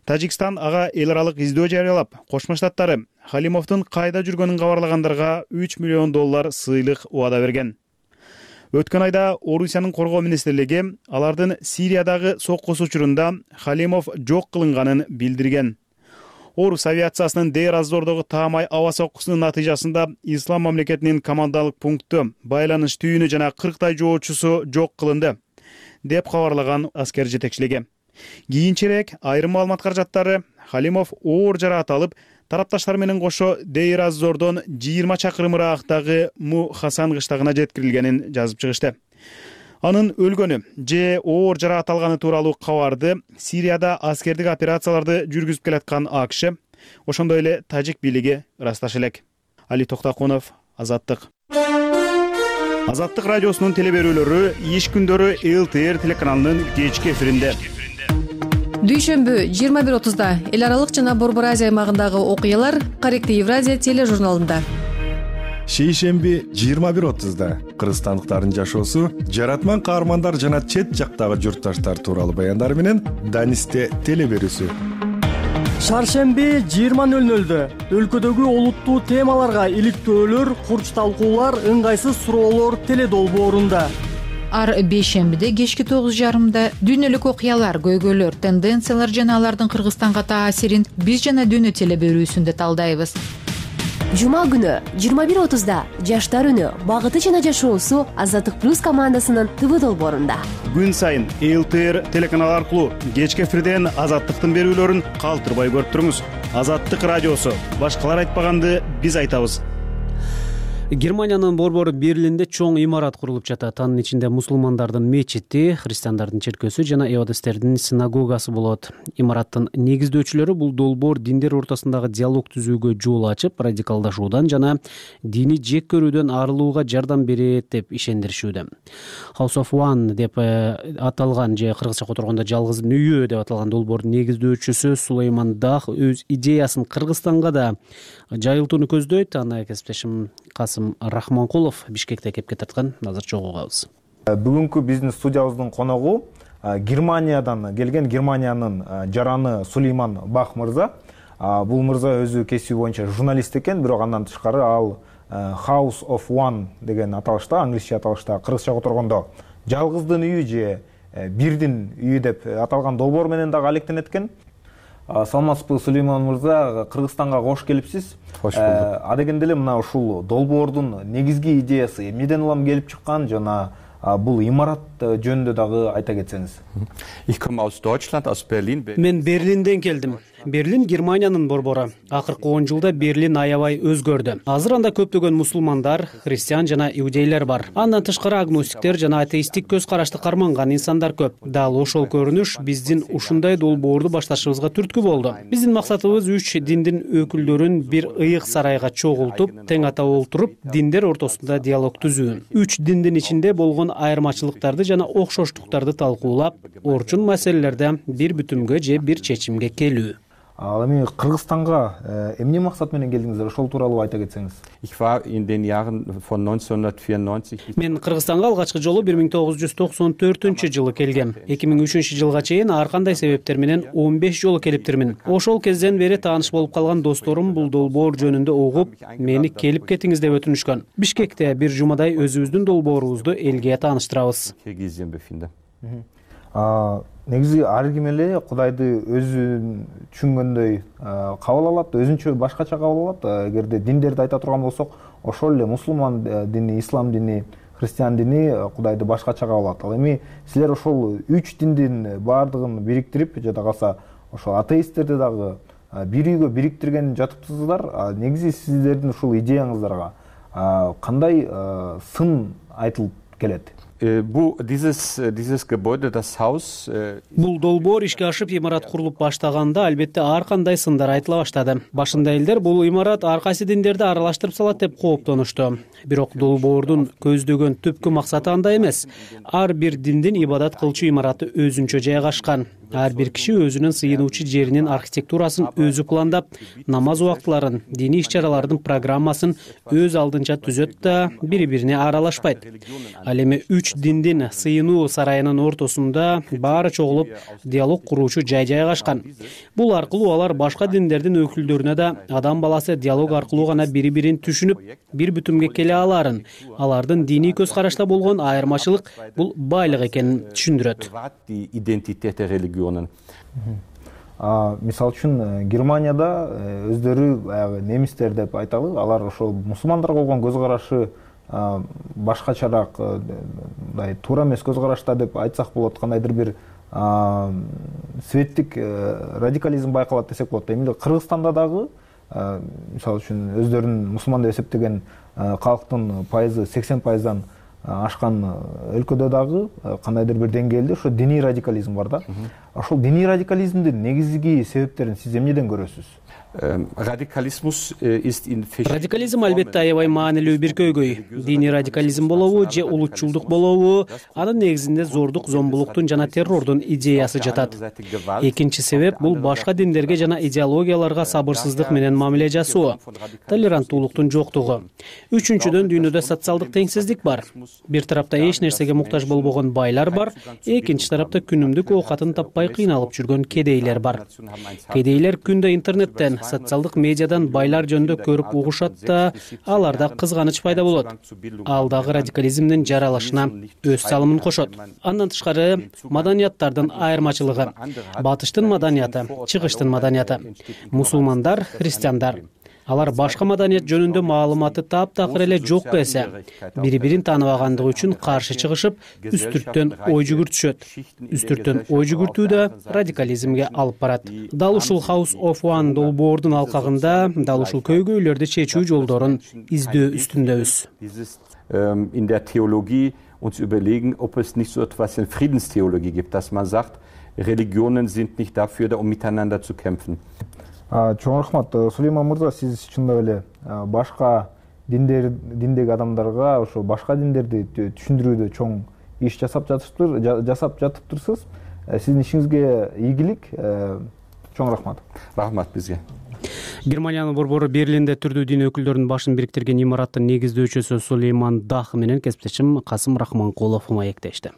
Тажикстан ага эл аралык издөө жарыялап, Кошмо Штаттары Халимовдун кайда жүргөнүн кабарлагандарга үч миллион доллар сыйлык убада берген. Өткөн айда Орусиянын коргоо министрлиги алардын Сириядагы соккусу учурунда Халимов жок кылынганын билдирген. Орус авиациясынын Дейр-аз-Зордогу таамай аба соккусунун натыйжасында Ислам мамлекетинин командалык пункту, байланыш түйүнү жана кырктай жоочусу жок кылынды, деп кабарлаган аскер жетекчилиги. Кийинчерээк айрым маалымат каражаттары Халимов оор жараат алып, тарапташтар менен кошо Дейр-аз-Зордон жыйырма чакырым ыраагындагы Му Хасан кыштагына жеткирилгенин жазып чыгышты. Анын өлгөнү же оор жараат алганы тууралуу кабарды Сирияда аскердик операцияларды жүргүзүп келаткан АКШ, ошондой эле тажик бийлиги ырасташы элек. Али Токтакунов, Азаттык. Азаттык радиосунун телеберүүлөрү иш күндөрү эл тэ эр телеканалынын кечки эфиринде. Дүйшөмбү жыйырма бир отузда эл аралык жана Борбор Азия аймагындагы окуялар Корректив Евразия тележурналында. Шейшемби жыйырма бир отузда кыргызстандыктардын жашоосу, жаратман каармандар жана чет жактагы журтташтар тууралуу баяндар менен Данисте телеберүүсү. Шаршемби жыйырма нөл нөлдө өлкөдөгү олуттуу темаларга иликтөөлөр, курч талкуулар, ыңгайсыз суроолор теледолбоорунда. Ар бейшембиде кечки тогуз жарымда дүйнөлүк окуялар, көйгөйлөр, тенденциялар жана алардын Кыргызстанга таасирин биз жана дүйнө телеберүүсүндө талдайбыз. Жума күнү жыйырма бир отузда жаштар үнү, багыты жана жашоосу Азаттык плюс командасынын ТВ долбоорунда. Күн сайын эл тэ эр телеканалы аркылуу кечки эфирден Азаттыктын берүүлөрүн калтырбай көрүп туруңуз. Азаттык радиосу, башкалар айтпаганды биз айтабыз. Германиянын борбор Берлинде чоң имарат курулуп жатат. Анын ичинде мусулмандардын мечити, христиандардын черкөөсү жана эвадистердин синагогасы болот. Имараттын негиздөөчүлөрү бул долбоор диндер ортосундагы диалог түзүүгө жол ачып, радикалдашуудан жана дини жек көрүүдөн арылууга жардам берет деп ишендиришүүдө. House of One деп аталган же кыргызча которгондо жалгыздын үйү деп аталган долбоордун негиздөөчүсү Сулейман Дах өз идеясын Кыргызстанга да жайылтууну көздөйт. Аны кесиптешим Касым Рахманкулов Бишкекте кепке тарткан. Азыр чогуу угабыз. Бүгүнкү биздин студиябыздын коногу Германиядан келген, Германиянын жараны Сулейман Бах мырза. Бул мырза өзү кесиби боюнча журналист экен, бирок андан тышкары ал House of One деген аталышта, англисче аталышта, кыргызча которгондо жалгыздын үйү же бирдин үйү деп аталган долбоор менен дагы алектенет экен. Саламатсызбы, Сулейман мырза, Кыргызстанга кош келипсиз. Кош болдук. Адегенде эле мына ушул долбоордун негизги идеясы эмнеден улам келип чыккан жана бул имарат жөнүндө дагы айта кетсеңиз. Ich komme aus Deutschland, aus Berlin. Мен Берлинден келдим. Берлин Германиянын борбору. Акыркы он жылда Берлин аябай өзгөрдү. Азыр анда көптөгөн мусулмандар, христиан жана иудейлер бар. Андан тышкары агностиктер жана атеисттик көз карашты карманган инсандар көп. Дал ошол көрүнүш биздин ушундай долбоорду башташыбызга түрткү болду. Биздин максатыбыз үч диндин өкүлдөрүн бир ыйык сарайга чогултуп, тең ата олтуруп, диндер ортосунда диалог түзүү. Үч диндин ичинде болгон айырмачылыктарды жана окшоштуктарды талкуулап, орчун маселелерде бир бүтүмгө же бир чечимге келүү. Ал эми Кыргызстанга эмне максат менен келдиңиздер? Ошол тууралуу айта кетсеңиз. Мен Кыргызстанга алгачкы жолу бир миң тогуз жүз токсон төртүнчү жылы келгем. эки миң үчүнчү жылга чейин ар кандай себептер менен он беш жолу келиптирмин. Ошол кезден бери тааныш болуп калган досторум бул долбоор жөнүндө угуп, мени келип кетиңиз деп өтүнүшкөн. Бишкекте бир жумадай өзүбүздүн долбоорубузду элге тааныштырабыз. Негизи ар ким эле Кудайды өзүн түшүнгөндөй кабыл алат, өзүнчө башкача кабыл алат. Эгерде диндерди айта турган болсок, ошол эле мусулман дини, ислам дини, христиан дини Кудайды башкача кабыл алат. Ал эми силер ошол үч диндин баардыгын бириктирип, жада калса ошол атеисттерди дагы бир үйгө бириктирген жатыптырсыздар. Негизи сиздердин ушул идеяңыздарга кандай сын айтылып келет? Бул долбоор ишке ашып имарат курулуп баштаганда албетте ар кандай сындар айтыла баштады. Башында элдер бул имарат ар кайсы диндерди аралаштырып салат деп кооптонушту. Бирок долбоордун көздөгөн түпкү максаты андай эмес. Ар бир диндин ибадат кылчу имараты өзүнчө жайгашкан. Ар бир киши өзүнүн сыйынуучу жеринин архитектурасын өзү пландап, намаз убактыларын, диний иш-чаралардын программасын өз алдынча түзөт да бири-бирине аралашпайт. Ал эми үч диндин сыйынуу сарайынын ортосунда баары чогулуп диалог куруучу жай жайгашкан. Бул аркылуу алар башка диндердин өкүлдөрүнө да адам баласы диалог аркылуу гана бири-бирин түшүнүп, бир бүтүмгө келе аларын, алардын диний көз карашта болгон айырмачылык бул байлык экенин түшүндүрөт. Мисалы үчүн Германияда өздөрү баягы немистер деп айталы, алар ошол мусулмандарга болгон көз карашы башкачараак, мындай туура эмес көз карашта деп айтсак болот, кандайдыр бир светтик радикализм байкалат десек болот. Эми Кыргызстанда дагы мисалы үчүн өздөрүн мусулман деп эсептеген калктын пайызы сексен пайыздан ашкан өлкөдө дагы кандайдыр бир деңгээлде ошо диний радикализм бар да. Ошол диний радикализмдин негизги себептерин сиз эмнеден көрөсүз? Радикализм албетте аябай маанилүү бир көйгөй. Диний радикализм болобу же улутчулдук болобу, анын негизинде зордук, зомбулуктун жана террордун идеясы жатат. Экинчи себеп бул башка диндерге жана идеологияларга сабырсыздык менен мамиле жасоо, толеранттуулуктун жоктугу. Үчүнчүдөн дүйнөдө социалдык теңсиздик бар. Бир тарапта эч нерсеге муктаж болбогон байлар бар, экинчи тарапта күнүмдүк оокатын таппай кыйналып жүргөн кедейлер бар. Кедейлер күндө интернеттен, социалдык медиадан байлар жөнүндө көрүп угушат да, аларда кызганыч пайда болот. Ал дагы радикализмдин жаралышына өз салымын кошот. Андан тышкары маданияттардын айырмачылыгы. Батыштын маданияты, чыгыштын маданияты. Мусулмандар, христиандар. Алар башка маданият жөнүндө маалыматы таптакыр эле жок эсе, бири-бирин тааныбагандыгы үчүн каршы чыгышып, үстүрттөн ой жүгүртүшөт. Үстүрттөн ой жүгүртүү да радикализмге алып барат. Дал ушул House of One долбоордун алкагында дал ушул көйгөйлөрдү чечүү жолдорун издөө үстүндөбүз. In der Theologie uns überlegen, ob es nicht so etwas in Friedenstheologie gibt, dass man sagt, Religionen sind nicht dafür da, um miteinander zu kämpfen. Чоң рахмат. Сулейман мырза, сиз чындап эле башка диндер диндеги адамдарга ошо башка диндерди түшүндүрүүдө чоң иш жасап жатыптыр, жасап жатыптырсыз. Сиздин ишиңизге ийгилик. Чоң рахмат. Рахмат бизге. Германиянын борбору Берлинде түрдүү дин өкүлдөрүнүн башын бириктирген имараттын негиздөөчүсү Сулейман Дах менен кесиптешим Касым Рахманкулов маектешти.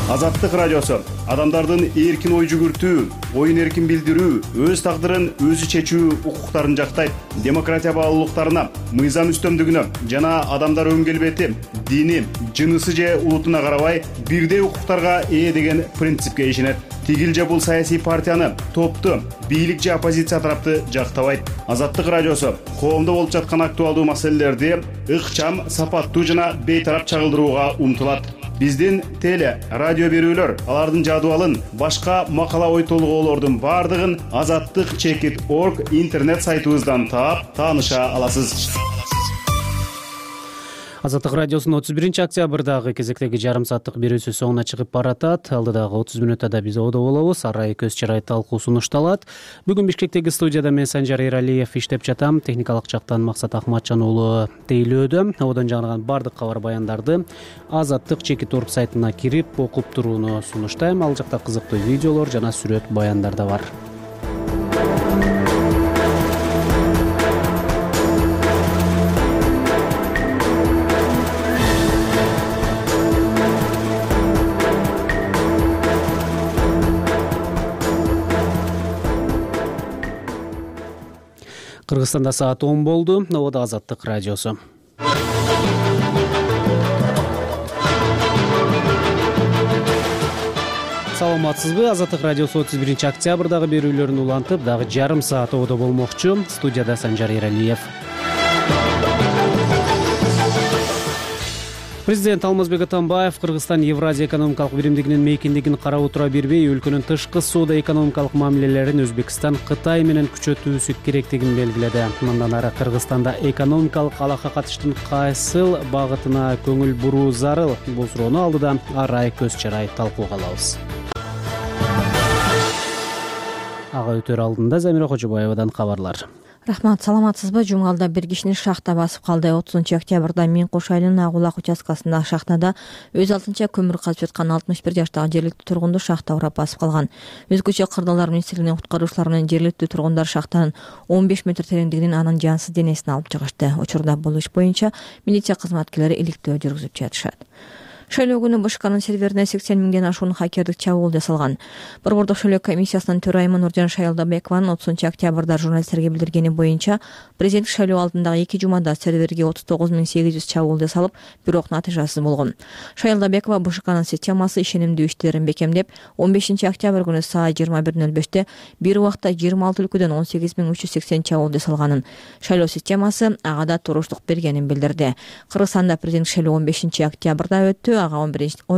Азаттык радиосу адамдардын эркин ой жүгүртүү, оюн эркин билдирүү, өз тагдырын өзү чечүү укуктарын жактайт. Демократия баалуулуктарына, мыйзам үстөмдүгүнө жана адамдар өн келбети, дини, жынысы же улутуна карабай бирдей укуктарга ээ деген принципке ишенет. Тигил же бул саясий партияны, топту, бийлик же оппозиция тарапты жактабайт. Азаттык радиосу коомдо болуп жаткан актуалдуу маселелерди ыкчам, сапаттуу жана бейтарап чагылдырууга умтулат. Биздин теле, радио берүүлөр, алардын жадыбалын, башка макала ой толгоолордун бардыгын азаттык чекит орг интернет сайтыбыздан таап, тааныша аласыз. Азаттык радиосунун отуз биринчи октябрдагы кезектеги жарым сааттык берүүсү соңуна чыгып баратат. Алдыдагы отуз мүнөттө да биз одо болобуз. Арай көз чырай талкуу сунушталат. Бүгүн Бишкектеги студияда мен Санжар Эралиев иштеп жатам. Техникалык жактан Максат Ахматжан уулу тейлөөдө. Одан жаңырган бардык кабар баяндарды Азаттык чекит орг сайтына кирип окуп турууну сунуштайм. Ал жакта кызыктуу видеолор жана сүрөт баяндар да бар. Кыргызстанда саат он болду. Ободо Азаттык радиосу. Саламатсызбы? Азаттык радиосу отуз биринчи октябрдагы берүүлөрүн улантып, дагы жарым саат ободо болмокчу. Студияда Санжар Эралиев. Президент Алмазбек Атамбаев Кыргызстан Евразия экономикалык биримдигинин мейкиндигин карап отура бербей, өлкөнүн тышкы соода экономикалык мамилелерин Өзбекстан Кытай менен күчөтүүсү керектигин белгиледи. Мындан ары Кыргызстанда экономикалык алакка катыштын кайсыл багытына көңүл буруу зарыл? Бул суроону алдыда Арай көз чырай талкууга алабыз. Ага өтөр алдында Замира Кожобаевадан кабарлар. Рахмат, саламатсызбы? Жумгалда бир кишини шахта басып калды. отузунчу октябрда Мен Кош айылынын Агулак участкасындагы шахтада өз алтынча көмүр казып жаткан алтымыш бир жаштагы жергиликтүү тургунду шахта урап басып калган. Өзгөчө Кырдаалар министрлигинин куткаруучулары менен жергиликтүү тургундар шахтанын он беш метр тереңдигинен анын жансыз денесин алып чыгышты. Учурда бул иш боюнча милиция кызматкерлери иликтөө жүргүзүп жатышат. Шайлоо күнү БШКнын серверине сексен миңден ашуун хакердик чабуул жасалган. Борбордук шайлоо комиссиясынын төрайымы Нуржан Шайлдабекованын отузунчу октябрда журналисттерге билдиргени боюнча, президенттик шайлоо алдындагы эки жумада серверге отуз тогуз миң сегиз жүз чабуул жасалып, бирок натыйжасыз болгон. Шайлдабекова БШКнын системасы ишенимдүү иштерин бекемдеп, он бешинчи октябрь күнү саат жыйырма бир нөл беште бир убакта жыйырма алты өлкөдөн он сегиз миң үч жүз сексен чабуул жасалганын, шайлоо системасы ага да туруштук бергенин билдирди. Кыргызстанда президенттик шайлоо он бешинчи октябрда өттү. Ага он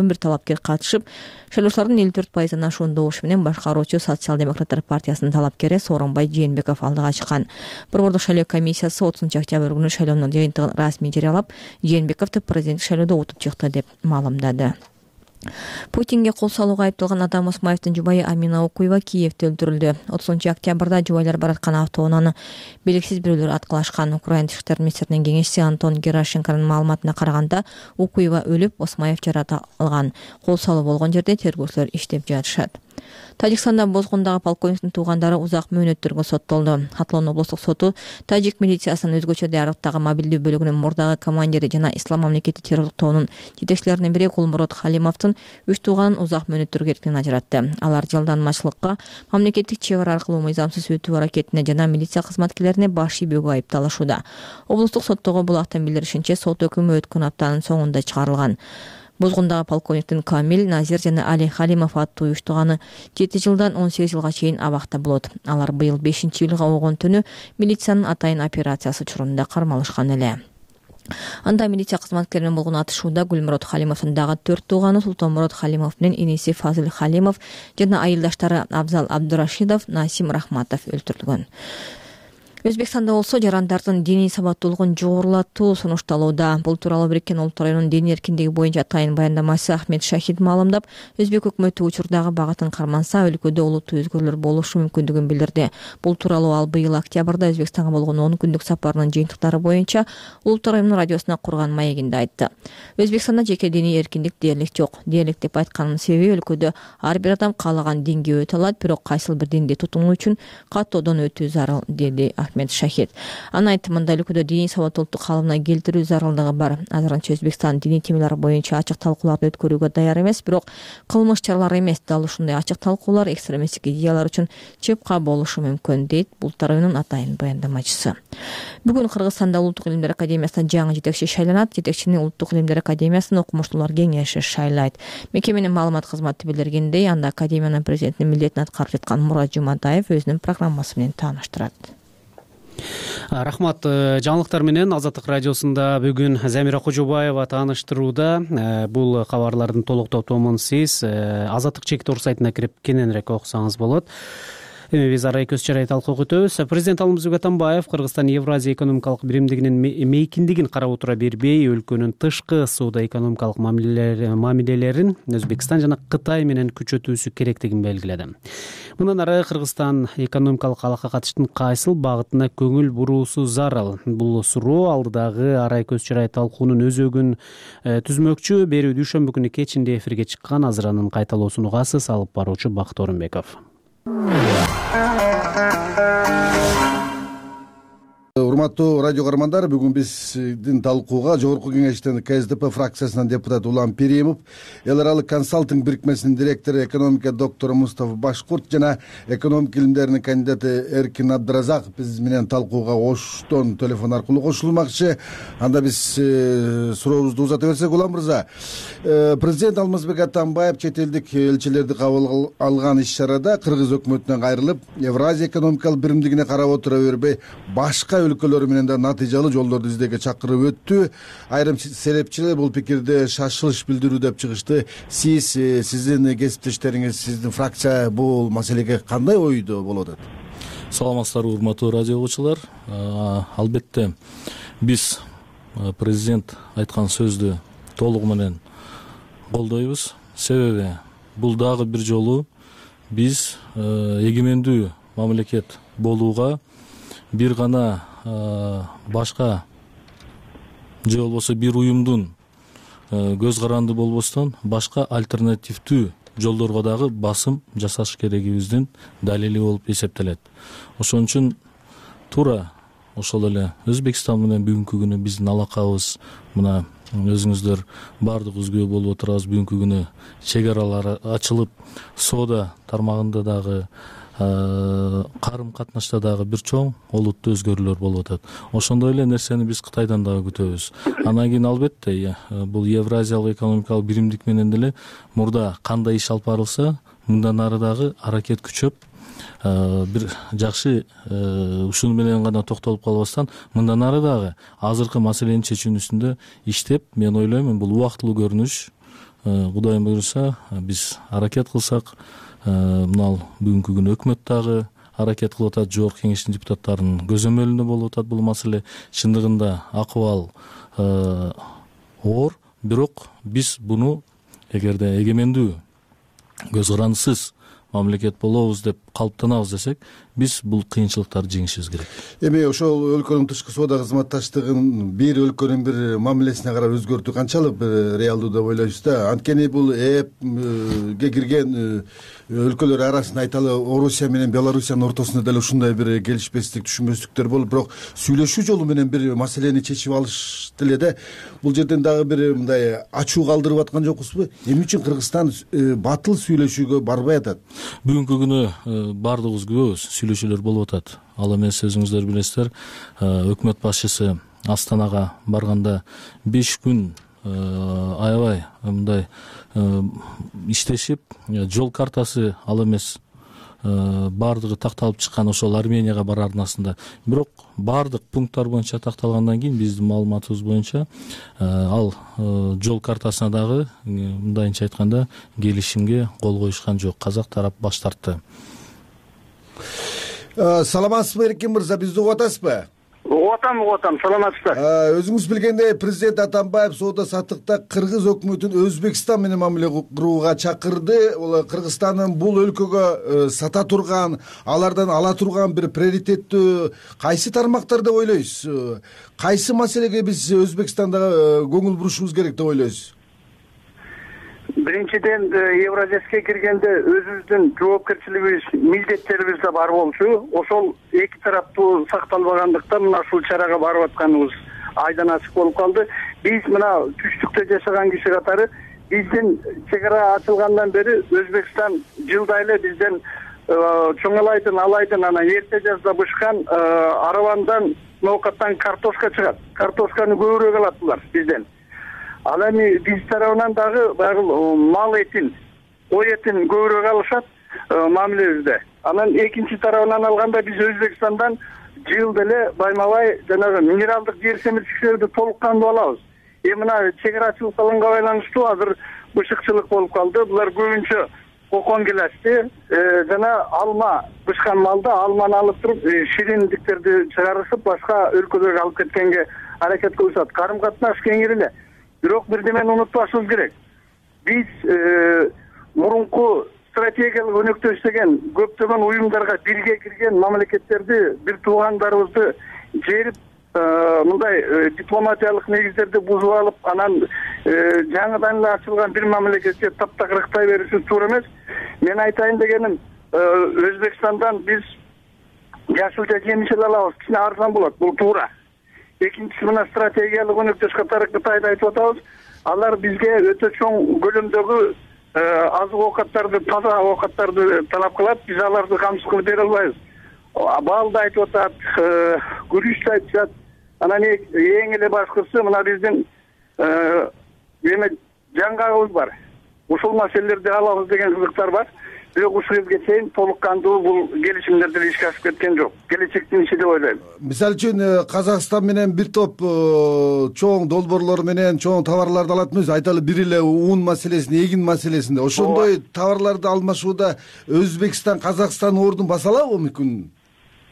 бир талапкер катышып, шайлоочулардын элүү төрт пайыздан ашуун добуш менен башкаруучу Социал-демократтар партиясынын талапкери Сооронбай Жээнбеков алдыга чыккан. Борбордук шайлоо комиссиясы отузунчу октябрь күнү шайлоонун жыйынтыгын расмий жарыялап, Жээнбековду президенттик шайлоодо утуп чыкты деп маалымдады. Путинге кол салууга айыпталган Адам Осмаевдин жубайы Амина Окуева Киевде өлтүрүлдү. отузунчу октябрда жубайлар бараткан автоунааны белгисиз бирөөлөр аткылашкан. Украина тышкы иштер министринин кеңешчиси Антон Герашенконун маалыматына караганда, Окуева өлүп, Осмаев жаракат алган. Кол салуу болгон жерде тергөөчүлөр иштеп жатышат. Тажикстанда Бозгундагы полковниктин туугандары узак мөөнөттөргө соттолду. Хатлон облустук соту тажик милициясынын өзгөчө диярдыктагы мобилдүү бөлүгүнүн мурдагы командири жана Ислам мамлекети террорлуктоонун жетекчилеринин бири Кулмурод Халимовдун үч тууганын узак мөөнөттөргө эркинен ажыратты. Алар жалданмачылыкка, мамлекеттик чек ара аркылуу мыйзамсыз өтүү аракетине жана милиция кызматкерлерине баш ийбөөгө айыпталышууда. Облустук соттогу булактын билдиришинче, сот өкүмү өткөн аптанын соңунда чыгарылган. Бозгундагы полковниктин Камил, Назир жана Али Халимов аттуу үч тууганы жети жылдан он сегиз жылга чейин абакта болот. Алар быйыл бешинчи июлга болгон түнү милициянын атайын операциясы учурунда кармалышкан эле. Анда милиция кызматкеринен болгон атышууда Гүлмурод Халимовдун дагы төрт тууганы Султанмурод Халимов менен иниси Фазыл Халимов жана айылдаштары Абзал Абдурашидов, Насим Рахматов өлтүрүлгөн. Өзбекстанда болсо жарандардын диний сабаттуулугун жогорулатуу сунушталууда. Бул тууралуу Бириккен Улуттар уюмунун дин эркиндиги боюнча атайын баяндамачысы Ахмед Шахид маалымдап, Өзбек өкмөтү учурдагы багытын карманса, өлкөдө олуттуу өзгөрүүлөр болушу мүмкүндүгүн билдирди. Бул тууралуу ал быйыл октябрда Өзбекстанга болгон он күндүк сапарынын жыйынтыктары боюнча Улуттар уюмунун радиосуна курган маегинде айтты. Өзбекстанда жеке диний эркиндик дээрлик жок. Дээрлик деп айтканымдын себеби өлкөдө ар бир адам каалаган динге өтө алат, бирок кайсыл бир динди тутунуу үчүн каттоодон өтүү зарыл, деди Ахмед Шахид. Аны айтымында өлкөдө диний сабаттуулукту калыбына келтирүү зарылдыгы бар. Азырынча Өзбекстан диний темелер боюнча ачык талкууларды өткөрүүгө даяр эмес, бирок кылмыш чаралар эмес, дал ушундай ачык талкуулар экстремисттик идеялар үчүн чыпка болушу мүмкүн, дейт Улуттар уюмунун атайын баяндамачысы. Бүгүн Кыргызстанда Улуттук илимдер академиясына жаңы жетекчи шайланат. Жетекчини Улуттук илимдер академиясынын окумуштуулар кеңеши шайлайт. Мекеменин маалымат кызматы билдиргендей, анда академиянын президентинин милдетин аткарып жаткан Мурат Жуматаев өзүнүн программасы менен тааныштырат. Рахмат. Жаңылыктар менен Азаттык радиосунда бүгүн Замира Кожобаева тааныштырууда. Бул кабарлардын толук топтомун сиз Азаттык чек.орг сайтына кирип кененирээк окусаңыз болот. Эми биз арай көз чарай талкуу өтөбүз. Президент Алмазбек Атамбаев Кыргызстан Евразия экономикалык биримдигинин мейкиндигин карап отура бербей, өлкөнүн тышкы соода экономикалык мамилелерин Өзбекстан жана Кытай менен күчөтүүсү керектигин белгиледи. Мындан ары Кыргызстан экономикалык алакка катыштын кайсыл багытына көңүл буруусу зарыл? Бул суроо алдыдагы арай көз чарай талкуунун өзөгүн түзмөкчү. Берүү дүйшөмбү күнү кечинде эфирге чыккан азыранын кайталоосун угасыз. Алып баруучу Бакыт Орунбеков. Урматтуу радио каармандар, бүгүн биздин талкууга Жогорку Кеңештин Ка Эс Д П фракциясынан депутат Улам Перимов, Эл аралык консалтинг бирикмесинин директору экономика доктору Мустафа Башкурт жана экономика илимдеринин кандидаты Эркин Абдыразаков биз менен талкууга оштон телефон аркылуу кошулмакчы. Анда биз сурообузду узата берсек, Улам мырза, президент Алмазбек Атамбаев чет элдик элчилерди кабыл алган иш-чарада Кыргыз өкмөтүнөн кайрылып, Евразия экономикалык биримдигине карап отура бербей, башка өлкөлөр менен да натыйжалуу жолдорду издеүүгө чакырып өттү. Айрым серепчилер бул пикирде шашылыш билдирүү деп чыгышты. Сиз, сиздин кесиптештериңиз, сиздин фракция бул маселеге кандай ойдо болуп атат? Саламатсыздарбы, урматтуу радио угуучулар. Албетте биз президент айткан сөздү толугу менен колдойбуз. Себеби бул дагы бир жолу биз эгемендүү мамлекет болууга бир гана башка же болбосо бир уюмдун көз каранды болбостон башка альтернативдүү жолдорго дагы басым жасаш керегибиздин далили болуп эсептелет. Ошон үчүн туура ошол эле Өзбекстан менен бүгүнкү күнү биздин алакабыз, мына өзүңүздөр баардыгыбыз күбө болуп отурабыз, бүгүнкү күнү чек аралар ачылып, соода тармагында дагы карым катнашта дагы бир чоң олуттуу өзгөрүүлөр болуп атат. Ошондой эле нерсени биз Кытайдан дагы күтөбүз. Анан кийин албетте бул Евразиялык экономикалык биримдик менен деле мурда кандай иш алып барылса, мындан ары дагы аракет күчөп, бир жакшы ушуну менен гана токтолуп калбастан, мындан ары дагы азыркы маселенин чечүүнүн үстүндө иштеп, мен ойлоймун, бул убактылуу көрүнүш. Кудайым буйруса, биз аракет кылсак, мына бүгүнкү күнү өкмөт дагы аракет кылып атат, Жогорку Кеңештин депутаттарынын көзөмөлүндө болуп атат бул маселе. Чындыгында акыбал оор, бирок биз буну эгерде эгемендүү көз карандысыз мамлекет болобуз деп калыптанабыз десек, биз бул кыйынчылыктарды жеңишибиз керек. Эми ошол өлкөнүн тышкы соода кызматташтыгын бир өлкөнүн бир мамилесине карап өзгөртүү канчалык реалдуу деп ойлойсуз да? Анткени бул эпке кирген өлкөлөр арасында айталы Орусия менен Белоруссиянын ортосунда деле ушундай бир келишпестик, түшүнбөстүктөр болуп, бирок сүйлөшүү жолу менен бир маселени чечип алыш деле да. Бул жерден дагы бир мындай ачуу калтырып аткан жокпузбу? Эмне үчүн Кыргызстан батыл сүйлөшүүгө барбай атат? Бүгүнкү күнү баардыгыбыз күбөбүз, сүйлөшүүлөр болуп атат. Ал эмес, өзүңүздөр билесиздер, өкмөт башчысы Астанага барганда беш күн аябай мындай иштешип, жол картасы ал эмес баардыгы такталып чыккан ошол Арменияга барар арнасында. Бирок баардык пункттар боюнча такталгандан кийин биздин маалыматыбыз боюнча ал жол картасына дагы мындайынча айтканда келишимге кол коюшкан жок. Казак тарап баш тартты. Саламатсызбы, Эркин мырза, бизди угуп атасызбы? Угуп атам, угуп атам. Саламатсызбы? Өзүңүз билгендей, президент Атамбаев соода саттыкта Кыргыз өкмөтүн Өзбекстан менен мамиле курууга чакырды. Кыргызстандын бул өлкөгө сата турган, алардан ала турган бир приоритеттүү кайсы тармактар деп ойлойсуз? Кайсы маселеге биз Өзбекстанда көңүл бурушубуз керек деп ойлойсуз? Биринчиден, Евразияске киргенде өзүбүздүн жоопкерчилигибиз, милдеттерибизде бар болчу. Ошол эки тараптуу сакталбагандыктан мына ушул чарага барып атканыбыз айдан ачык болуп калды. Биз мына түштүктө жашаган киши катары биздин чек ара ачылгандан бери Өзбекстан жылда эле бизден чоңалайдын, алайдын, анан эрте жазда бышкан аравандан, ноокаттан картошка чыгат. Картошканы көбүрөөк алат булар бизден. Ал эми биз тарабынан дагы баягы мал этин, ой этин көбүрөөк алышат мамилебизде. Анан экинчи тарабынан алганда биз Өзбекстандан жылда эле байма-бай жанагы минералдык жер семиртүүчүлөрдү толук кандуу алабыз. Эми мына чек алганга байланыштуу азыр бышыкчылык болуп калды. Булар көбүнчө кокон келешти. Жана алма бышкан малда алманы алып туруп шириндиктерди чыгарышып башка өлкөлөргө алып кеткенге аракет кылышат. Карым катнаш кеңири эле. Бирок бир немени унутпашыбыз керек. Биз мурунку стратегиялык өнөктөш деген көптөгөн уюмдарга бирге кирген мамлекеттерди, бир туугандарыбызды жерип мындай дипломатиялык негиздерди бузуп алып, анан жаңыдан эле ачылган бир мамлекетке таптакырыктай беришибиз туура эмес. Мен айтайын дегеним, Өзбекстандан биз жашылча жемиш алабыз, кичине арзан болот, бул туура. Экинчиси мына стратегиялык өнөктөш катары Кытайды айтып атабыз. Алар бизге өтө чоң көлөмдөгү азык оокаттарды, таза оокаттарды талап кылат. Биз аларды камсыз кылып бере албайбыз. Балды айтып атат, күрүчтү айтышат. Анан эң эле башкысы мына биздин эме жаңгагыбыз бар. Ушул маселелерди алабыз деген кызыктар бар. Бирок ушул жерге чейин толук кандуу бул келишимдер деле ишке ашып кеткен жок. Келечектин иши деп ойлойм. Мисалы үчүн Казакстан менен бир топ чоң долбоорлор менен чоң товарларды алат эмес, айталы бир эле ун маселесинде, эгин маселесинде. Ошондой товарларды алмашууда Өзбекстан, Казакстан ордун баса алабы мүмкүн?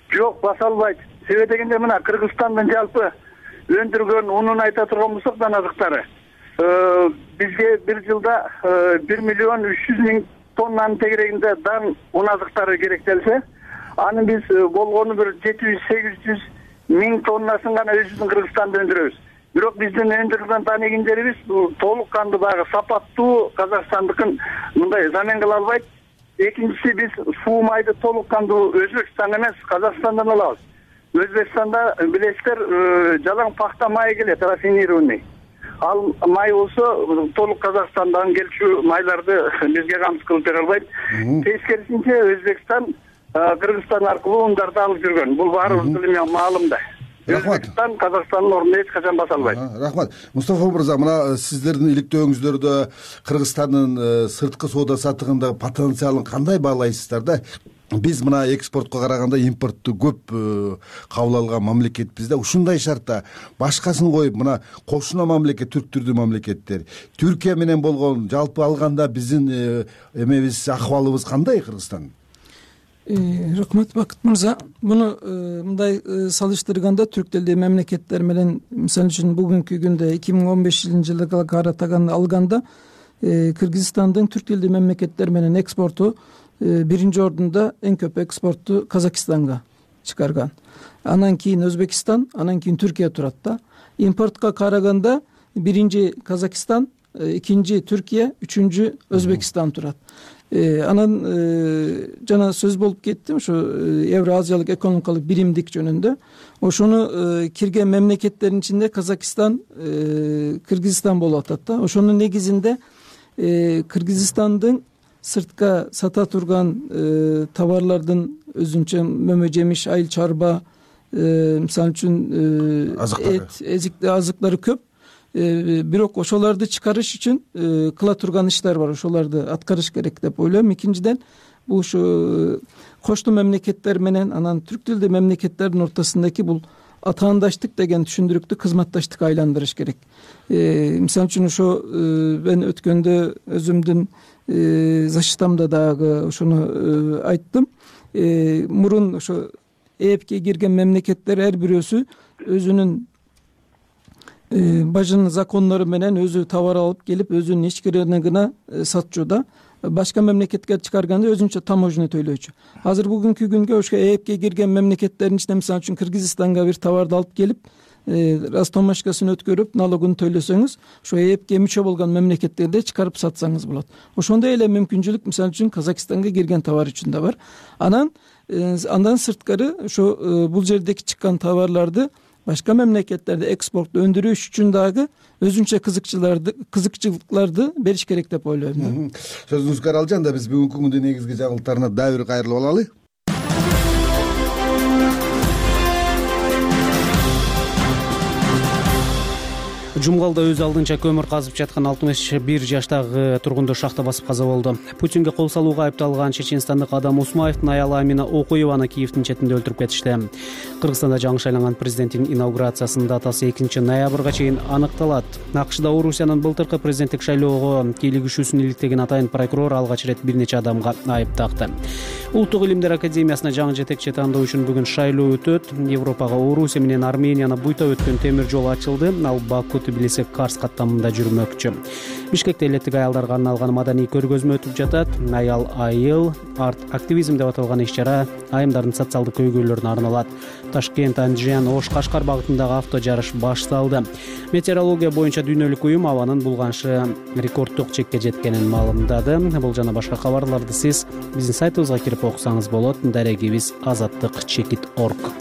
Жок, баса албайт. Себеби дегенде мына Кыргызстандын жалпы өндүргөн унун айта турган болсок, дан азыктары бизге бир жылда бир миллион үч жүз миң тоннанын тегерегинде дан un азыктары керектелсе, анын биз болгону бир жети жүз сегиз жүз миң тоннасын гана өзүбүздүн Кыргызстанда өндүрөбүз. Бирок биздин өндүрүлгөн дан эгиндерибиз толук кандуу дагы сапаттуу Казакстандыкын мындай замен кыла албайт. Экинчиси, биз суу майды толук кандуу Өзбекстан эмес, Казакстандан алабыз. Өзбекстанда билесиздер, жалаң пахта майы келет, рафинированный. Ал май болсо толук Казакстандан келчү майларды бизге камсыз кылып бере албайт. Тескерисинче Өзбекстан Кыргызстан аркылуу ундарды алып жүргөн. Бул баарыбыздын эме маалымда. Өзбекстан Казакстандын ордуна эч качан баса албайт. Рахмат. Мустафа мырза, мына сиздердин иликтөөңүздөрдө Кыргызстандын сырткы соода саттыгындагы потенциалын кандай баалайсыздар да? Биз мына экспортко караганда импортту көп кабыл алган мамлекетпиз да. Ушундай шартта башкасын коюп, мына кошуна мамлекет, түрк түрдүү мамлекеттер, Түркия менен болгон жалпы алганда биздин эмебиз, акыбалыбыз кандай Кыргызстан? Рахмат, Бакыт мырза. Муну мындай салыштырганда түрк тилдүү мамлекеттер менен, мисалы үчүн бүгүнкү күндө эки миң он бешинчи жылга каратаган алганда Кыргызстандын түрк тилдүү мамлекеттер менен экспорту биринчи ордунда, эң көп экспортту Казакстанга чыгарган. Анан кийин Өзбекстан, анан кийин Түркия турат да. Импортко караганда биринчи Казакстан, экинчи Түркия, үчүнчү Өзбекстан турат. Анан жана сөз болуп кетти ушу Евразиялык экономикалык биримдик жөнүндө. Ошону кирген мамлекеттердин ичинде Казакстан, Кыргызстан болуп атат да. Ошонун негизинде Кыргызстандын сыртка сата турган товарлардын өзүнчө мөмө жемиш, айыл чарба, мисалы үчүн эт, эзикти азыктары көп. Бирок ошолорду чыгарыш үчүн кыла турган иштер бар, ошолорду аткарыш керек деп ойлойм. Экинчиден, бул ушу коштуу мамлекеттер менен анан түрк тилдүү мамлекеттердин ортосундагы бул атаандаштык деген түшүндүрүктү кызматташтыкка айландырыш керек. Мисалы үчүн ошо мен өткөндө өзүмдүн защитамда дагы ошону айттым. Мурун ошо ЭЭПке кирген мамлекеттер ар бирөөсү өзүнүн бажын закондору менен өзү товар алып келип, өзүнүн ички рыногуна сатчу да. Башка мамлекетке чыгарганда өзүнчө таможня төлөйчү. Азыр бүгүнкү күнгө ошо ЭЭПке кирген мамлекеттердин ичинде, мисалы үчүн Кыргызстанга бир товарды алып келип, растомашкасын өткөрүп, налогун төлөсөңүз, ошо ЭЭПке мүчө болгон мамлекеттерде чыгарып сатсаңыз болот. Ошондой эле мүмкүнчүлүк, мисалы үчүн Казакстанга кирген товар үчүн да бар. Анан андан сырткары ошо бул жердеги чыккан товарларды башка мамлекеттерде экспорт өндүрүш үчүн дагы өзүнчө кызыкчыларды кызыкчылыктарды бериш керек деп ойлойм. Сөзүңүз Каралжан да, биз бүгүнкү күндүн негизги жаңылыктарына дагы бир кайрылып алалы. Жумгалда өз алдынча көмүр казып жаткан алтымыш бир жаштагы тургунду шахта басып каза болду. Путинге кол салууга айыпталган чеченстандык Адам Усмаевдин аялы Амина Окуеваны Киевдин четинде өлтүрүп кетишти. Кыргызстанда жаңы шайланган президенттин инаугурациясынын датасы экинчи ноябрга чейин аныкталат. АКШда Орусиянын былтыркы президенттик шайлоого кийлигишүүсүн иликтеген атайын прокурор алгач ирет бир нече адамга айып такты. Улуттук илимдер академиясына жаңы жетекчи тандоо үчүн бүгүн шайлоо өтөт. Европага Орусия менен Арменияны буйта өткөн темир жол ачылды. Ал Баку Тбилиси Карс каттамында жүрмөкчү. Бишкекте элеттик аялдарга арналган маданий көргөзмө өтүп жатат. Аял айыл арт активизм деп аталган иш-чара айымдардын социалдык көйгөйлөрүнө арналат. Ташкент, Анжан, Ош, Кашкар багытындагы авто жарыш башталды. Метеорология боюнча дүйнөлүк уюм абанын булганышы рекорддук чекке жеткенин маалымдады. Бул жана башка кабарларды сиз биздин сайтыбызга кирип окусаңыз болот. Дарегибиз азаттык чекит точка орг.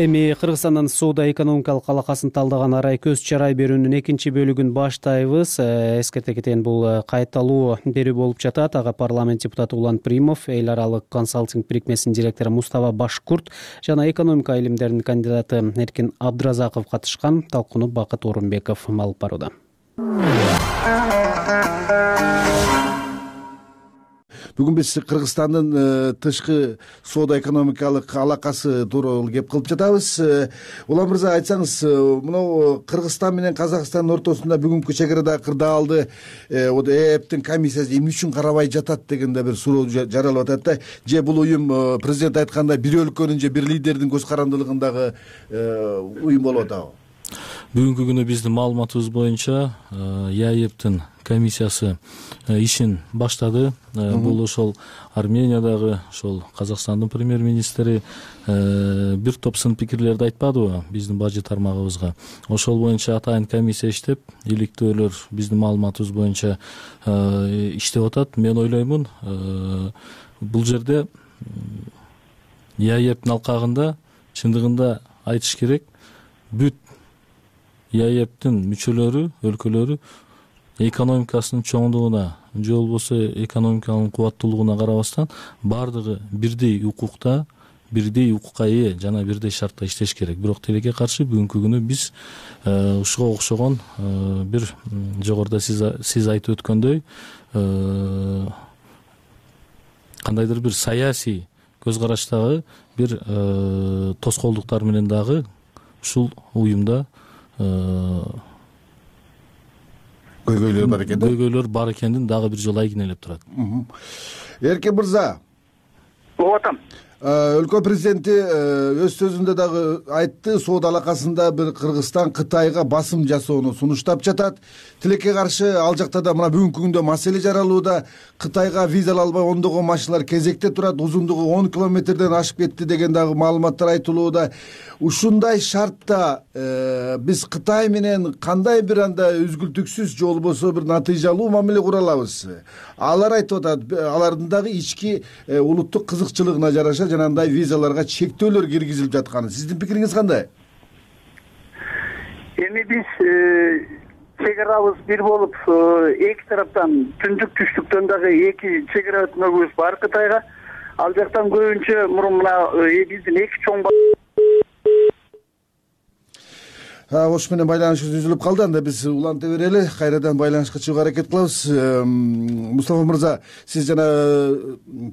Эми Кыргызстандын соода-экономикалык алакасын талдаган арай көз чарай берүүнүн экинчи бөлүгүн баштайбыз. Эскерте кетейин, бул кайталуу берүү болуп жатат. Ага парламент депутаты Улан Примов, эл аралык консалтинг бирикмесинин директору Мустава Башкурт жана экономика илимдеринин кандидаты Эркин Абдыразаков катышкан. Талкууну Бакыт Орунбеков алып барууда. Бүгүн биз Кыргызстандын тышкы соода-экономикалык алакасы тууралуу кеп кылып жатабыз. Улан мырза, айтсаңыз, мына Кыргызстан менен Казакстандын ортосунда бүгүнкү чегирадагы кырдаалды ЭЭПтин комиссиясы эмне үчүн карабай жатат деген да бир суроо жаралып атат да. Же бул уюм президент айткандай бир өлкөнүн же бир лидердин көз карандылыгындагы уюм болуп атабы? Бүгүнкү күнү биздин маалыматыбыз боюнча ЭЭПтин комиссиясы ишин баштады. Бул ошол Армениядагы, ошол Казакстандын премьер-министри бир топ сын пикирлерди айтпадыбы биздин бажы тармагыбызга. Ошол боюнча атайын комиссия иштеп, иликтөөлөр биздин маалыматыбыз боюнча иштеп атат. Мен ойлоймун, бул жерде ЭЭПтин алкагында чындыгында айтыш керек, бүт ЭЭПтин мүчөлөрү, өлкөлөрү экономикасынын чоңдугуна же болбосо экономиканын кубаттуулугуна карабастан баардыгы бирдей укукта, бирдей укукка ээ жана бирдей шартта иштеш керек. Бирок тилекке каршы бүгүнкү күнү биз ушуга окшогон бир жогоруда сиз айтып өткөндөй кандайдыр бир саясий көз караштагы бир тоскоолдуктар менен дагы ушул уюмда көйгөйлөр бар экен. Көйгөйлөр бар экенин дагы бир жолу айгинелеп турат. Эркин мырза, болуп атам. Өлкө президенти өз сөзүндө дагы айтты, соода алакасында бир Кыргызстан Кытайга басым жасоону сунуштап жатат. Тилекке каршы ал жакта да мына бүгүнкү күндө маселе жаралууда. Кытайга виза албай ондогон машиналар кезекте турат, узундугу он километрден ашып кетти деген дагы маалыматтар айтылууда. Ушундай шартта биз Кытай менен кандай бир анда үзгүлтүксүз же болбосо бир натыйжалуу мамиле кура алабыз? Алар айтып атат, алардын дагы ички улуттук кызыкчылыгына жараша жанагындай визаларга чектөөлөр киргизилип жатканы. Сиздин пикириңиз кандай? Эми биз чегарабыз бир болуп, эки тараптан түндүк түштүктөн дагы эки чегара өтмөгүбүз бар Кытайга. Ал жактан көбүнчө мурун мына биздин эки чоң Ош менен байланышыбыз үзүлүп калды. Анда биз уланта берели, кайрадан байланышка чыгууга аракет кылабыз. Мустафа мырза, сиз жана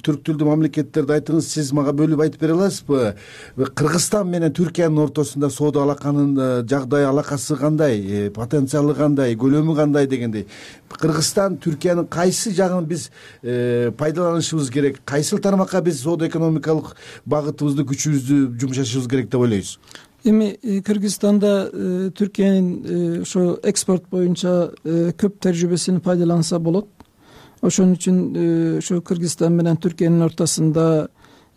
түрк тилдүү мамлекеттерди айттыңыз. Сиз мага бөлүп айтып бере аласызбы? Кыргызстан менен Түркиянын ортосунда соода алаканын жагдайы, алакасы кандай, потенциалы кандай, көлөмү кандай дегендей. Кыргызстан, Түркиянын кайсы жагын биз пайдаланышыбыз керек? Кайсыл тармакка биз соода экономикалык багытыбызды, күчүбүздү жумшашыбыз керек деп ойлойсуз? Эми Кыргызстанда Түркиянын ошо экспорт боюнча көп тажрыйбесин пайдаланса болот. Ошон үчүн ошо Кыргызстан менен Түркиянын ортосунда,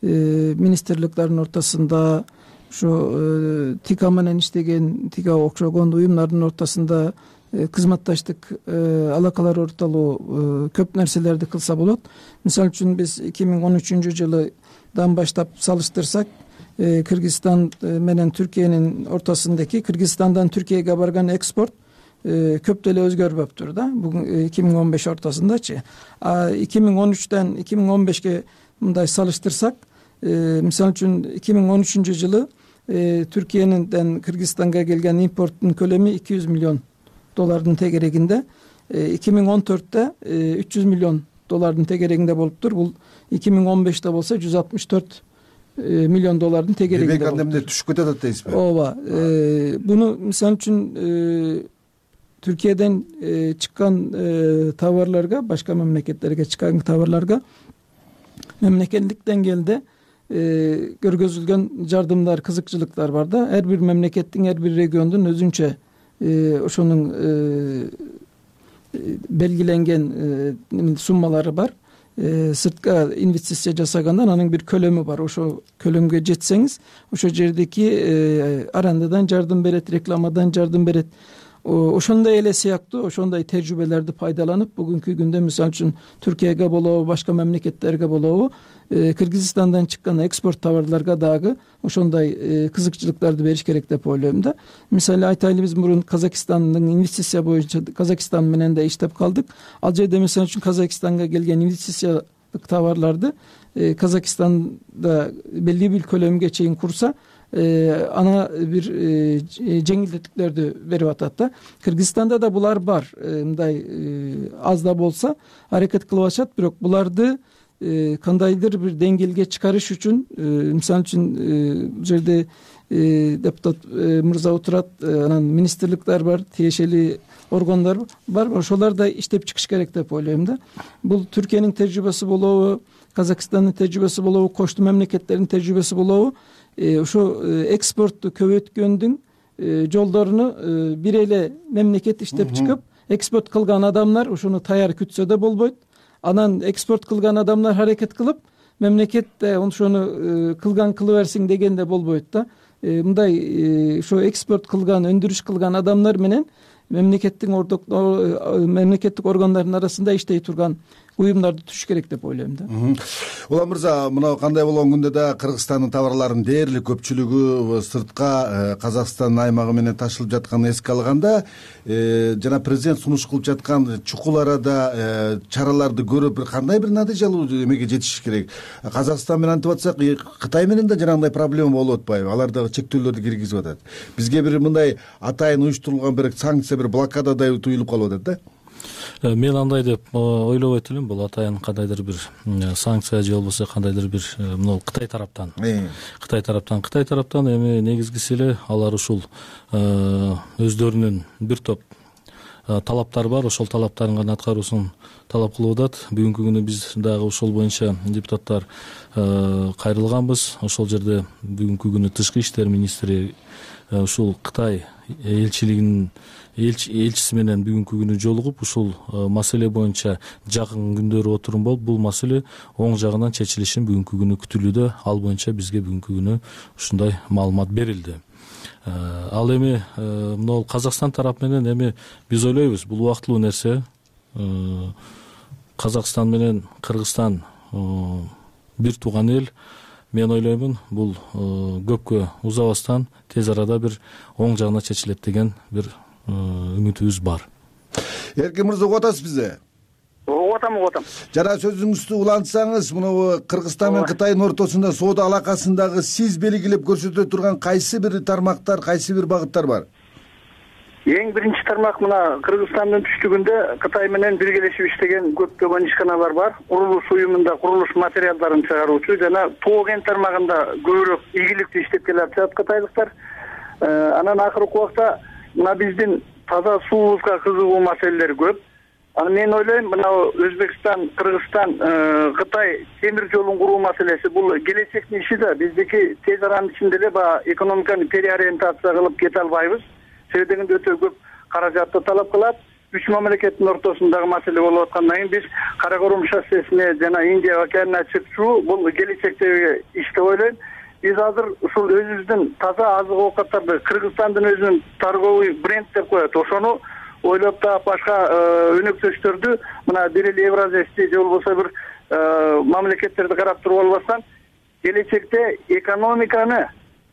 министрликтердин ортосунда, ошо ТИКА менен иштеген, ТИКА окшогон уюмдардын ортосунда кызматташтык алакалар ортолуу көп нерселерди кылса болот. Мисалы үчүн биз эки миң он үчүнчү жылдан баштап салыштырсак, Кыргызстан менен Түркиянын ортосундагы Кыргызстандан Түркияга барган экспорт көп деле өзгөрбөптүр да. Бүгүн эки миң он беш ортосундачы. А эки миң он үчтөн эки миң он бешке мындай салыштырсак, мисалы үчүн эки миң он үчүнчү жылы Түркиянын Кыргызстанга келген импорттун көлөмү эки жүз миллион доллардын тегерегинде. эки миң он төрттө үч жүз миллион доллардын тегерегинде болуптур. Бул эки миң он беште болсо жүз алтымыш төрт миллион доллардын тегерегинде. Демек анда эмне түшүп кетип атат дейсизби? Ооба. Буну мисалы үчүн Түркияден чыккан товарларга, башка мамлекеттерге чыккан товарларга мемлекеттик деңгээлде көргөзүлгөн жардымдар, кызыкчылыктар бар да. Ар бир мемлекеттин, ар бир региондун өзүнчө ошонун белгиленген суммалары бар. Сыртка инвестиция жасагандан анын бир көлөмү бар. Ошо көлөмгө жетсеңиз, ошо жердеки арандадан жардым берет, рекламадан жардым берет. Ошондой эле сыяктуу ошондой тажрыйбаларды пайдаланып бүгүнкү күндө мисалы үчүн Түркияга болобу, башка мамлекеттерге болобу, Кыргызстандан чыккан экспорт товарларга дагы ошондой кызыкчылыктарды бериш керек деп ойлойм да. Мисалы айтайлы, биз мурун Казакстандын инвестиция боюнча Казакстан менен да иштеп калдык. Ал жерде мисалы үчүн Казакстанга келген инвестициялык товарларды Казакстанда белгилүү бир көлөмгө чейин курса, ана бир жеңилдетиктерди берип атат да. Кыргызстанда да булар бар, мындай аз да болсо аракет кылып атышат, бирок буларды кандайдыр бир деңгээлге чыгарыш үчүн, мисалы үчүн бул жерде депутат мырза отурат, анан министрликтер бар, тиешелүү органдар бар, ошолор да иштеп чыгыш керек деп ойлойм да. Бул Түркиянын тажрыйбасы болобу, Казакстандын тажрыйбасы болобу, кошту мемлекеттердин тажрыйбасы болобу, ошо экспортту көбөйткөндүн жолдоруну бир эле мемлекет иштеп чыгып, экспорт кылган адамдар ошону таяр күтсө да болбойт. Анан экспорт кылган адамдар аракет кылып, мемлекет ошону кылган кыла берсин дегенде болбойт да. Мындай ошо экспорт кылган, өндүрүш кылган адамдар менен мемлекеттин ордок мемлекеттик органдардын арасында иштей турган уюмдарды түзүш керек деп ойлойм да. Улан мырза, мына кандай болгон күндө да Кыргызстандын товарларынын дээрлик көпчүлүгү сыртка Казакстан аймагы менен ташылып жатканын эске алганда, жана президент сунуш кылып жаткан чукул арада чараларды көрүп, бир кандай бир натыйжалуу эмеге жетиш керек. Казакстан менен антип атсак, Кытай менен да жанагындай проблема болуп атпайбы? Алар дагы чектөөлөрдү киргизип атат. Бизге бир мындай атайын уюштурулган бир санкция, бир блокададай туюлуп калып атат да. Мен андай деп ойлобойт элем. Бул атайын кандайдыр бир санкция же болбосо кандайдыр бир мына Кытай тараптан. Кытай тараптан, Кытай тараптан эми негизгиси эле алар ушул өздөрүнүн бир топ талаптары бар. Ошол талаптарын гана аткаруусун талап кылып атат. Бүгүнкү күнү биз дагы ошол боюнча депутаттар кайрылганбыз. Ошол жерде бүгүнкү күнү тышкы иштер министри ушул Кытай элчилигинин элчиси менен бүгүнкү күнү жолугуп, ушул маселе боюнча жакын күндөрү отурум болуп, бул маселе оң жагынан чечилишин бүгүнкү күнү күтүлүүдө. Ал боюнча бизге бүгүнкү күнү ушундай маалымат берилди. Ал эми мына Казакстан тарап менен эми биз ойлойбуз, бул убактылуу нерсе. Казакстан менен Кыргызстан бир тууган эл. Мен ойлоймун, бул көпкө узабастан тез арада бир оң жагына чечилет деген бир үмүтүбүз бар. Эркин мырза, угуп атасыз бизди? Угуп атам, угуп атам. Жана сөзүңүздү улантсаңыз, мына Кыргызстан менен Кытайдын ортосунда соода алакасындагы сиз белгилеп көрсөтө турган кайсы бир тармактар, кайсы бир багыттар бар? Эң биринчи тармак мына Кыргызстандын түштүгүндө Кытай менен биргелешип иштеген көптөгөн ишканалар бар. Курулуш уюмунда курулуш материалдарын чыгаруучу жана тоо кен тармагында көбүрөөк ийгиликтүү иштеп келатышат кытайлыктар. Анан акыркы убакта мына биздин таза суубузга кызыгуу маселелер көп. Аны мен ойлойм, мына Өзбекстан, Кыргызстан, Кытай темир жолун куруу маселеси бул келечектин иши да. Биздики тез аранын ичинде эле баягы экономиканы переориентация кылып кете албайбыз. Себеби дегенде өтө көп каражатты талап кылат. Үч мамлекеттин ортосундагы маселе болуп аткандан кийин биз Кара Корум шоссесине жана Индия океанына чыкчу бул келечектеги иш деп ойлойм. Биз азыр ушул өзүбүздүн таза азык оокаттарды Кыргызстандын өзүнүн торговый бренд деп коет. Ошону ойлоп таап башка өнөктөштөрдү мына бир эле Евразиясти же болбосо бир мамлекеттерди карап туруп албастан, келечекте экономиканы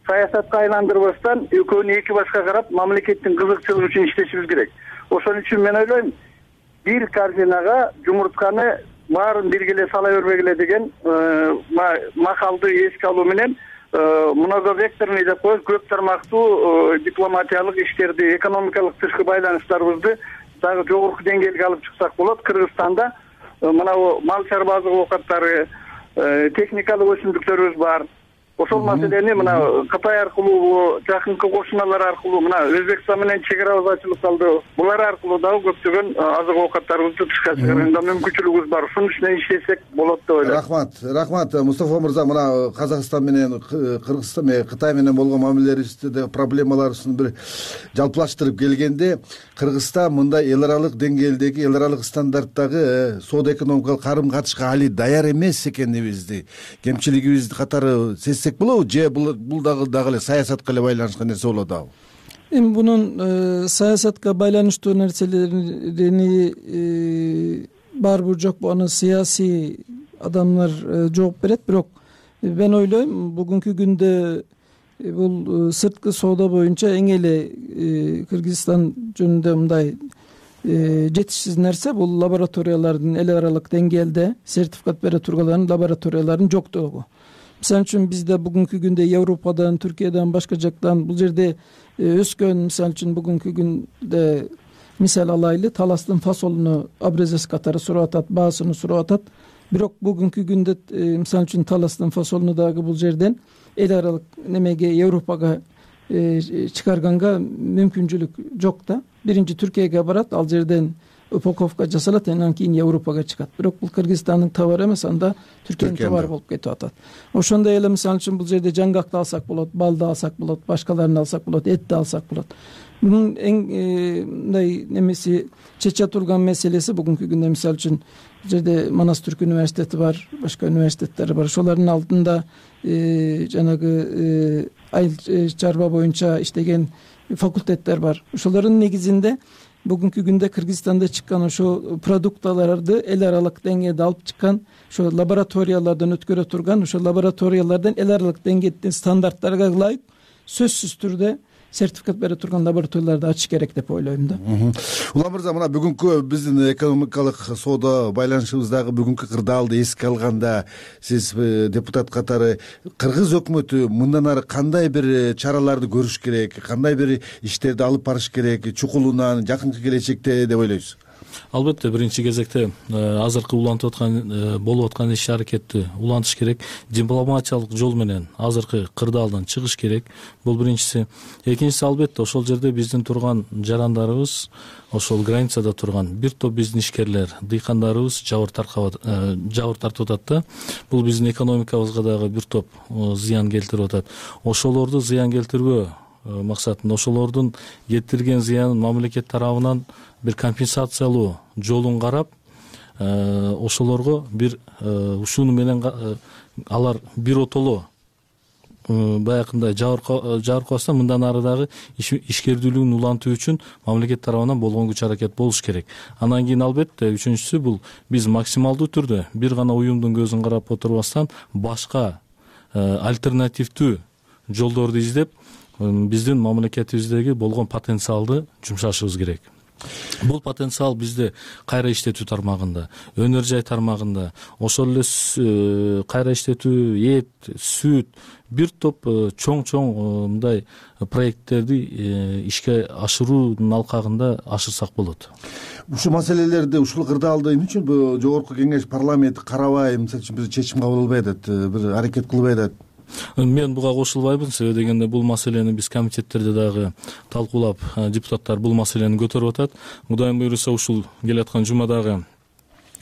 саясатка айландырбастан экөөнү эки башка карап мамлекеттин кызыкчылыгы үчүн иштешибиз керек. Ошон үчүн мен ойлойм, бир корзинага жумуртканы баарын бирге эле сала бербегиле деген макалды эске алуу менен многовекторный деп коебуз, көп тармактуу дипломатиялык иштерди, экономикалык тышкы байланыштарыбызды дагы жогорку деңгээлге алып чыксак болот. Кыргызстанда мына мал чарба оокаттары, техникалык өсүмдүктөрүбүз бар. Ошол маселени мына Кытай аркылуу, жакынкы кошуналар аркылуу, мына Өзбекстан менен чек арабыз ачылып калды. Булар аркылуу дагы көптөгөн азык оокаттарыбызды тышка чыгарганда мүмкүнчүлүгүбүз бар. Ушунун үстүнө иштесек болот деп ойлойм. Рахмат, рахмат Мустафа мырза. Мына Казакстан менен Кыргызстан менен Кытай менен болгон мамилелерибизде проблемаларыбыздын бир жалпылаштырып келгенде, Кыргызстан мындай эл аралык деңгээлдеги, эл аралык стандарттагы соода экономикалык карым катышка али даяр эмес экенибизди, кемчилигибизди катары сезсек болобу, же бул дагы дагы эле саясатка эле байланышкан нерсе болот абы? Эми бунун саясатка байланыштуу нерселерини барбы жокпу, аны саясий адамдар жооп берет. Бирок мен ойлойм, бүгүнкү күндө бул сырткы соода боюнча эң эле Кыргызстан жөнүндө мындай жетишсиз нерсе бул лабораториялардын эл аралык деңгээлде сертификат бере турган лабораториялардын жоктугу. Мисалы үчүн бизде бүгүнкү күндө Европадан, Түркиядан, башка жактан бул жерде өскөн, мисалы үчүн бүгүнкү күндө мисал алайлы, таластын фасолуну образец катары сурап атат, баасын сурап атат. Бирок бүгүнкү күндө мисалы үчүн таластын фасолуну дагы бул жерден эл аралык немеге, Европага чыгарганга мүмкүнчүлүк жок да. Биринчи Түркияга барат, ал жерден упаковка жасалат, андан кийин Европага чыгат. Бирок бул Кыргызстандын товары эмес, анда Түркиянын товары болуп кетип атат. Ошондой эле мисалы үчүн бул жерде жаңгакты алсак болот, балды алсак болот, башкаларын алсак болот, этти алсак болот. Мунун эң мындай немеси чече турган маселеси бүгүнкү күндө мисалы үчүн жерде Манас Түрк университети бар, башка университеттер бар. Ошолордун алдында жанагы айыл чарба боюнча иштеген факультеттер бар. Ошолордун негизинде бүгүнкү күндө Кыргызстанда чыккан ошо продукталарды эл аралык деңгээлде алып чыккан, ошо лабораториялардан өткөрө турган, ошо лабораториялардан эл аралык деңгээлдин стандарттарга ылайык сөзсүз түрдө сертификат бере турган лабораторияларды ачыш керек деп ойлойм да. Улам мырза, мына бүгүнкү биздин экономикалык соода байланышыбыздагы бүгүнкү кырдаалды эске алганда, сиз депутат катары Кыргыз өкмөтү мындан ары кандай бир чараларды көрүш керек, кандай бир иштерди алып барыш керек чукулунан жакынкы келечекте деп ойлойсуз? Албетте, биринчи кезекте азыркы улантып аткан болуп аткан иш аракетти улантыш керек, дипломатиялык жол менен азыркы кырдаалдан чыгыш керек. Бул биринчиси. Экинчиси, албетте, ошол жерде биздин турган жарандарыбыз, ошол границада турган бир топ биздин ишкерлер, дыйкандарыбыз жабыр тартып атат да. Бул биздин экономикабызга дагы бир топ зыян келтирип атат. Ошолорду зыян келтирбөө максатында, ошолордун келтирген зыянын мамлекет тарабынан бир компенсациялоо жолун карап, ошолорго бир ушуну менен алар бир отоло баягындай жабыркабастан мындан ары дагы ишкердүүлүгүн улантуу үчүн мамлекет тарабынан болгон күч аракет болуш керек. Андан кийин албетте үчүнчүсү бул биз максималдуу түрдө бир гана уюмдун көзүн карап отурбастан башка альтернативдүү жолдорду издеп биздин мамлекетибиздеги болгон потенциалды жумшашыбыз керек. Бул потенциал бизде кайра иштетүү тармагында, өнөр жай тармагында, ошол эле кайра иштетүү, эт, сүт, бир топ чоң-чоң мындай проекттерди ишке ашыруунун алкагында ашырсак болот. Ушул маселелерди, ушул кырдаалды эмне үчүн жогорку кеңеш парламент карабай, мисалы үчүн бир чечим кабыл кылбай атат, бир аракет кылбай атат? Мен буга кошулбайбын, себеби дегенде бул маселени биз комитеттерде дагы талкуулап, депутаттар бул маселени көтөрүп атат. Кудайым буйруса ушул келаткан жумадагы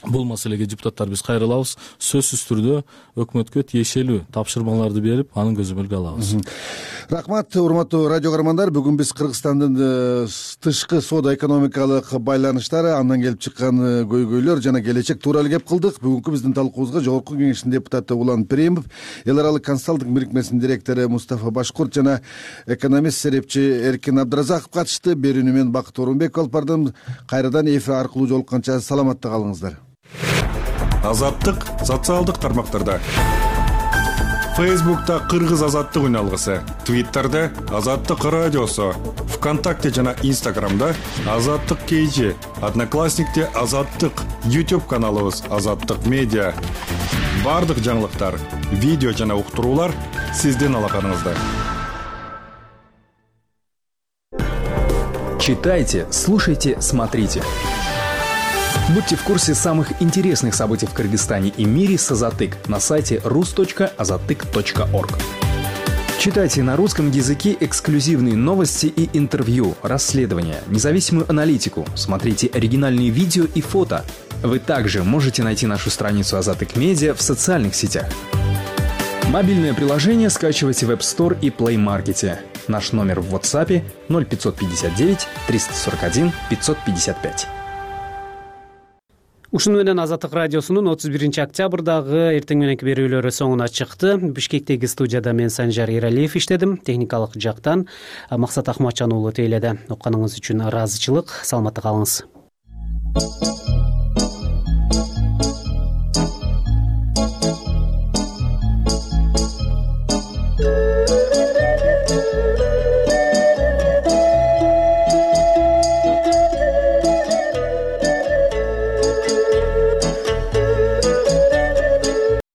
бул маселеге депутаттар биз кайрылабыз. Сөзсүз түрдө өкмөткө тиешелүү тапшырмаларды берип, анын көзөмөлгө алабыз. Рахмат, урматтуу радио көрөрмандар. Бүгүн биз Кыргызстандын тышкы соода экономикалык байланыштары, андан келип чыккан көйгөйлөр жана келечек тууралуу кеп кылдык. Бүгүнкү биздин талкуубузга Жогорку Кеңештин депутаты Улан Перимов, эл аралык консалтинг бирикмесинин директору Мустафа Башкурт жана экономист серепчи Эркин Абдыразаков катышты. Берүүнү мен Бакыт Орунбеков алып бардым. Кайрадан эфир аркылуу жолукканча саламатта калыңыздар. Азаттык социалдык тармактарда. Фейсбукта Кыргыз азаттык үналгысы, Твиттерде Азаттык радиосу, ВКонтакте жана Инстаграмда Азаттык кейжи, Одноклассникте Азаттык, YouTube каналыбыз Азаттык медиа. баардык жаңылыктар, видео жана уктуруулар сиздин алаканыңызда. Читайте, слушайте, смотрите. Будьте в курсе самых интересных событий в Кыргызстане и мире с Азатык на сайте рус точка азатык точка орг. Читайте на русском языке эксклюзивные новости и интервью, расследования, независимую аналитику, смотрите оригинальные видео и фото. Вы также можете найти нашу страницу Азатык Медиа в социальных сетях. Мобильное приложение скачивайте в App Store и Play Market. Наш номер в WhatsApp ноль пятьсот пятьдесят девять триста сорок один пятьсот пятьдесят пять. Ушуну менен Азаттык радиосунун отуз биринчи октябрдагы эртең мененки берүүлөрү соңуна чыкты. Бишкектеги студияда мен Санжар Иралиев иштедим. Техникалык жактан Максат Ахматжан уулу тейледи. Окканыңыз үчүн ыраазычылык. Саламатта калыңыз.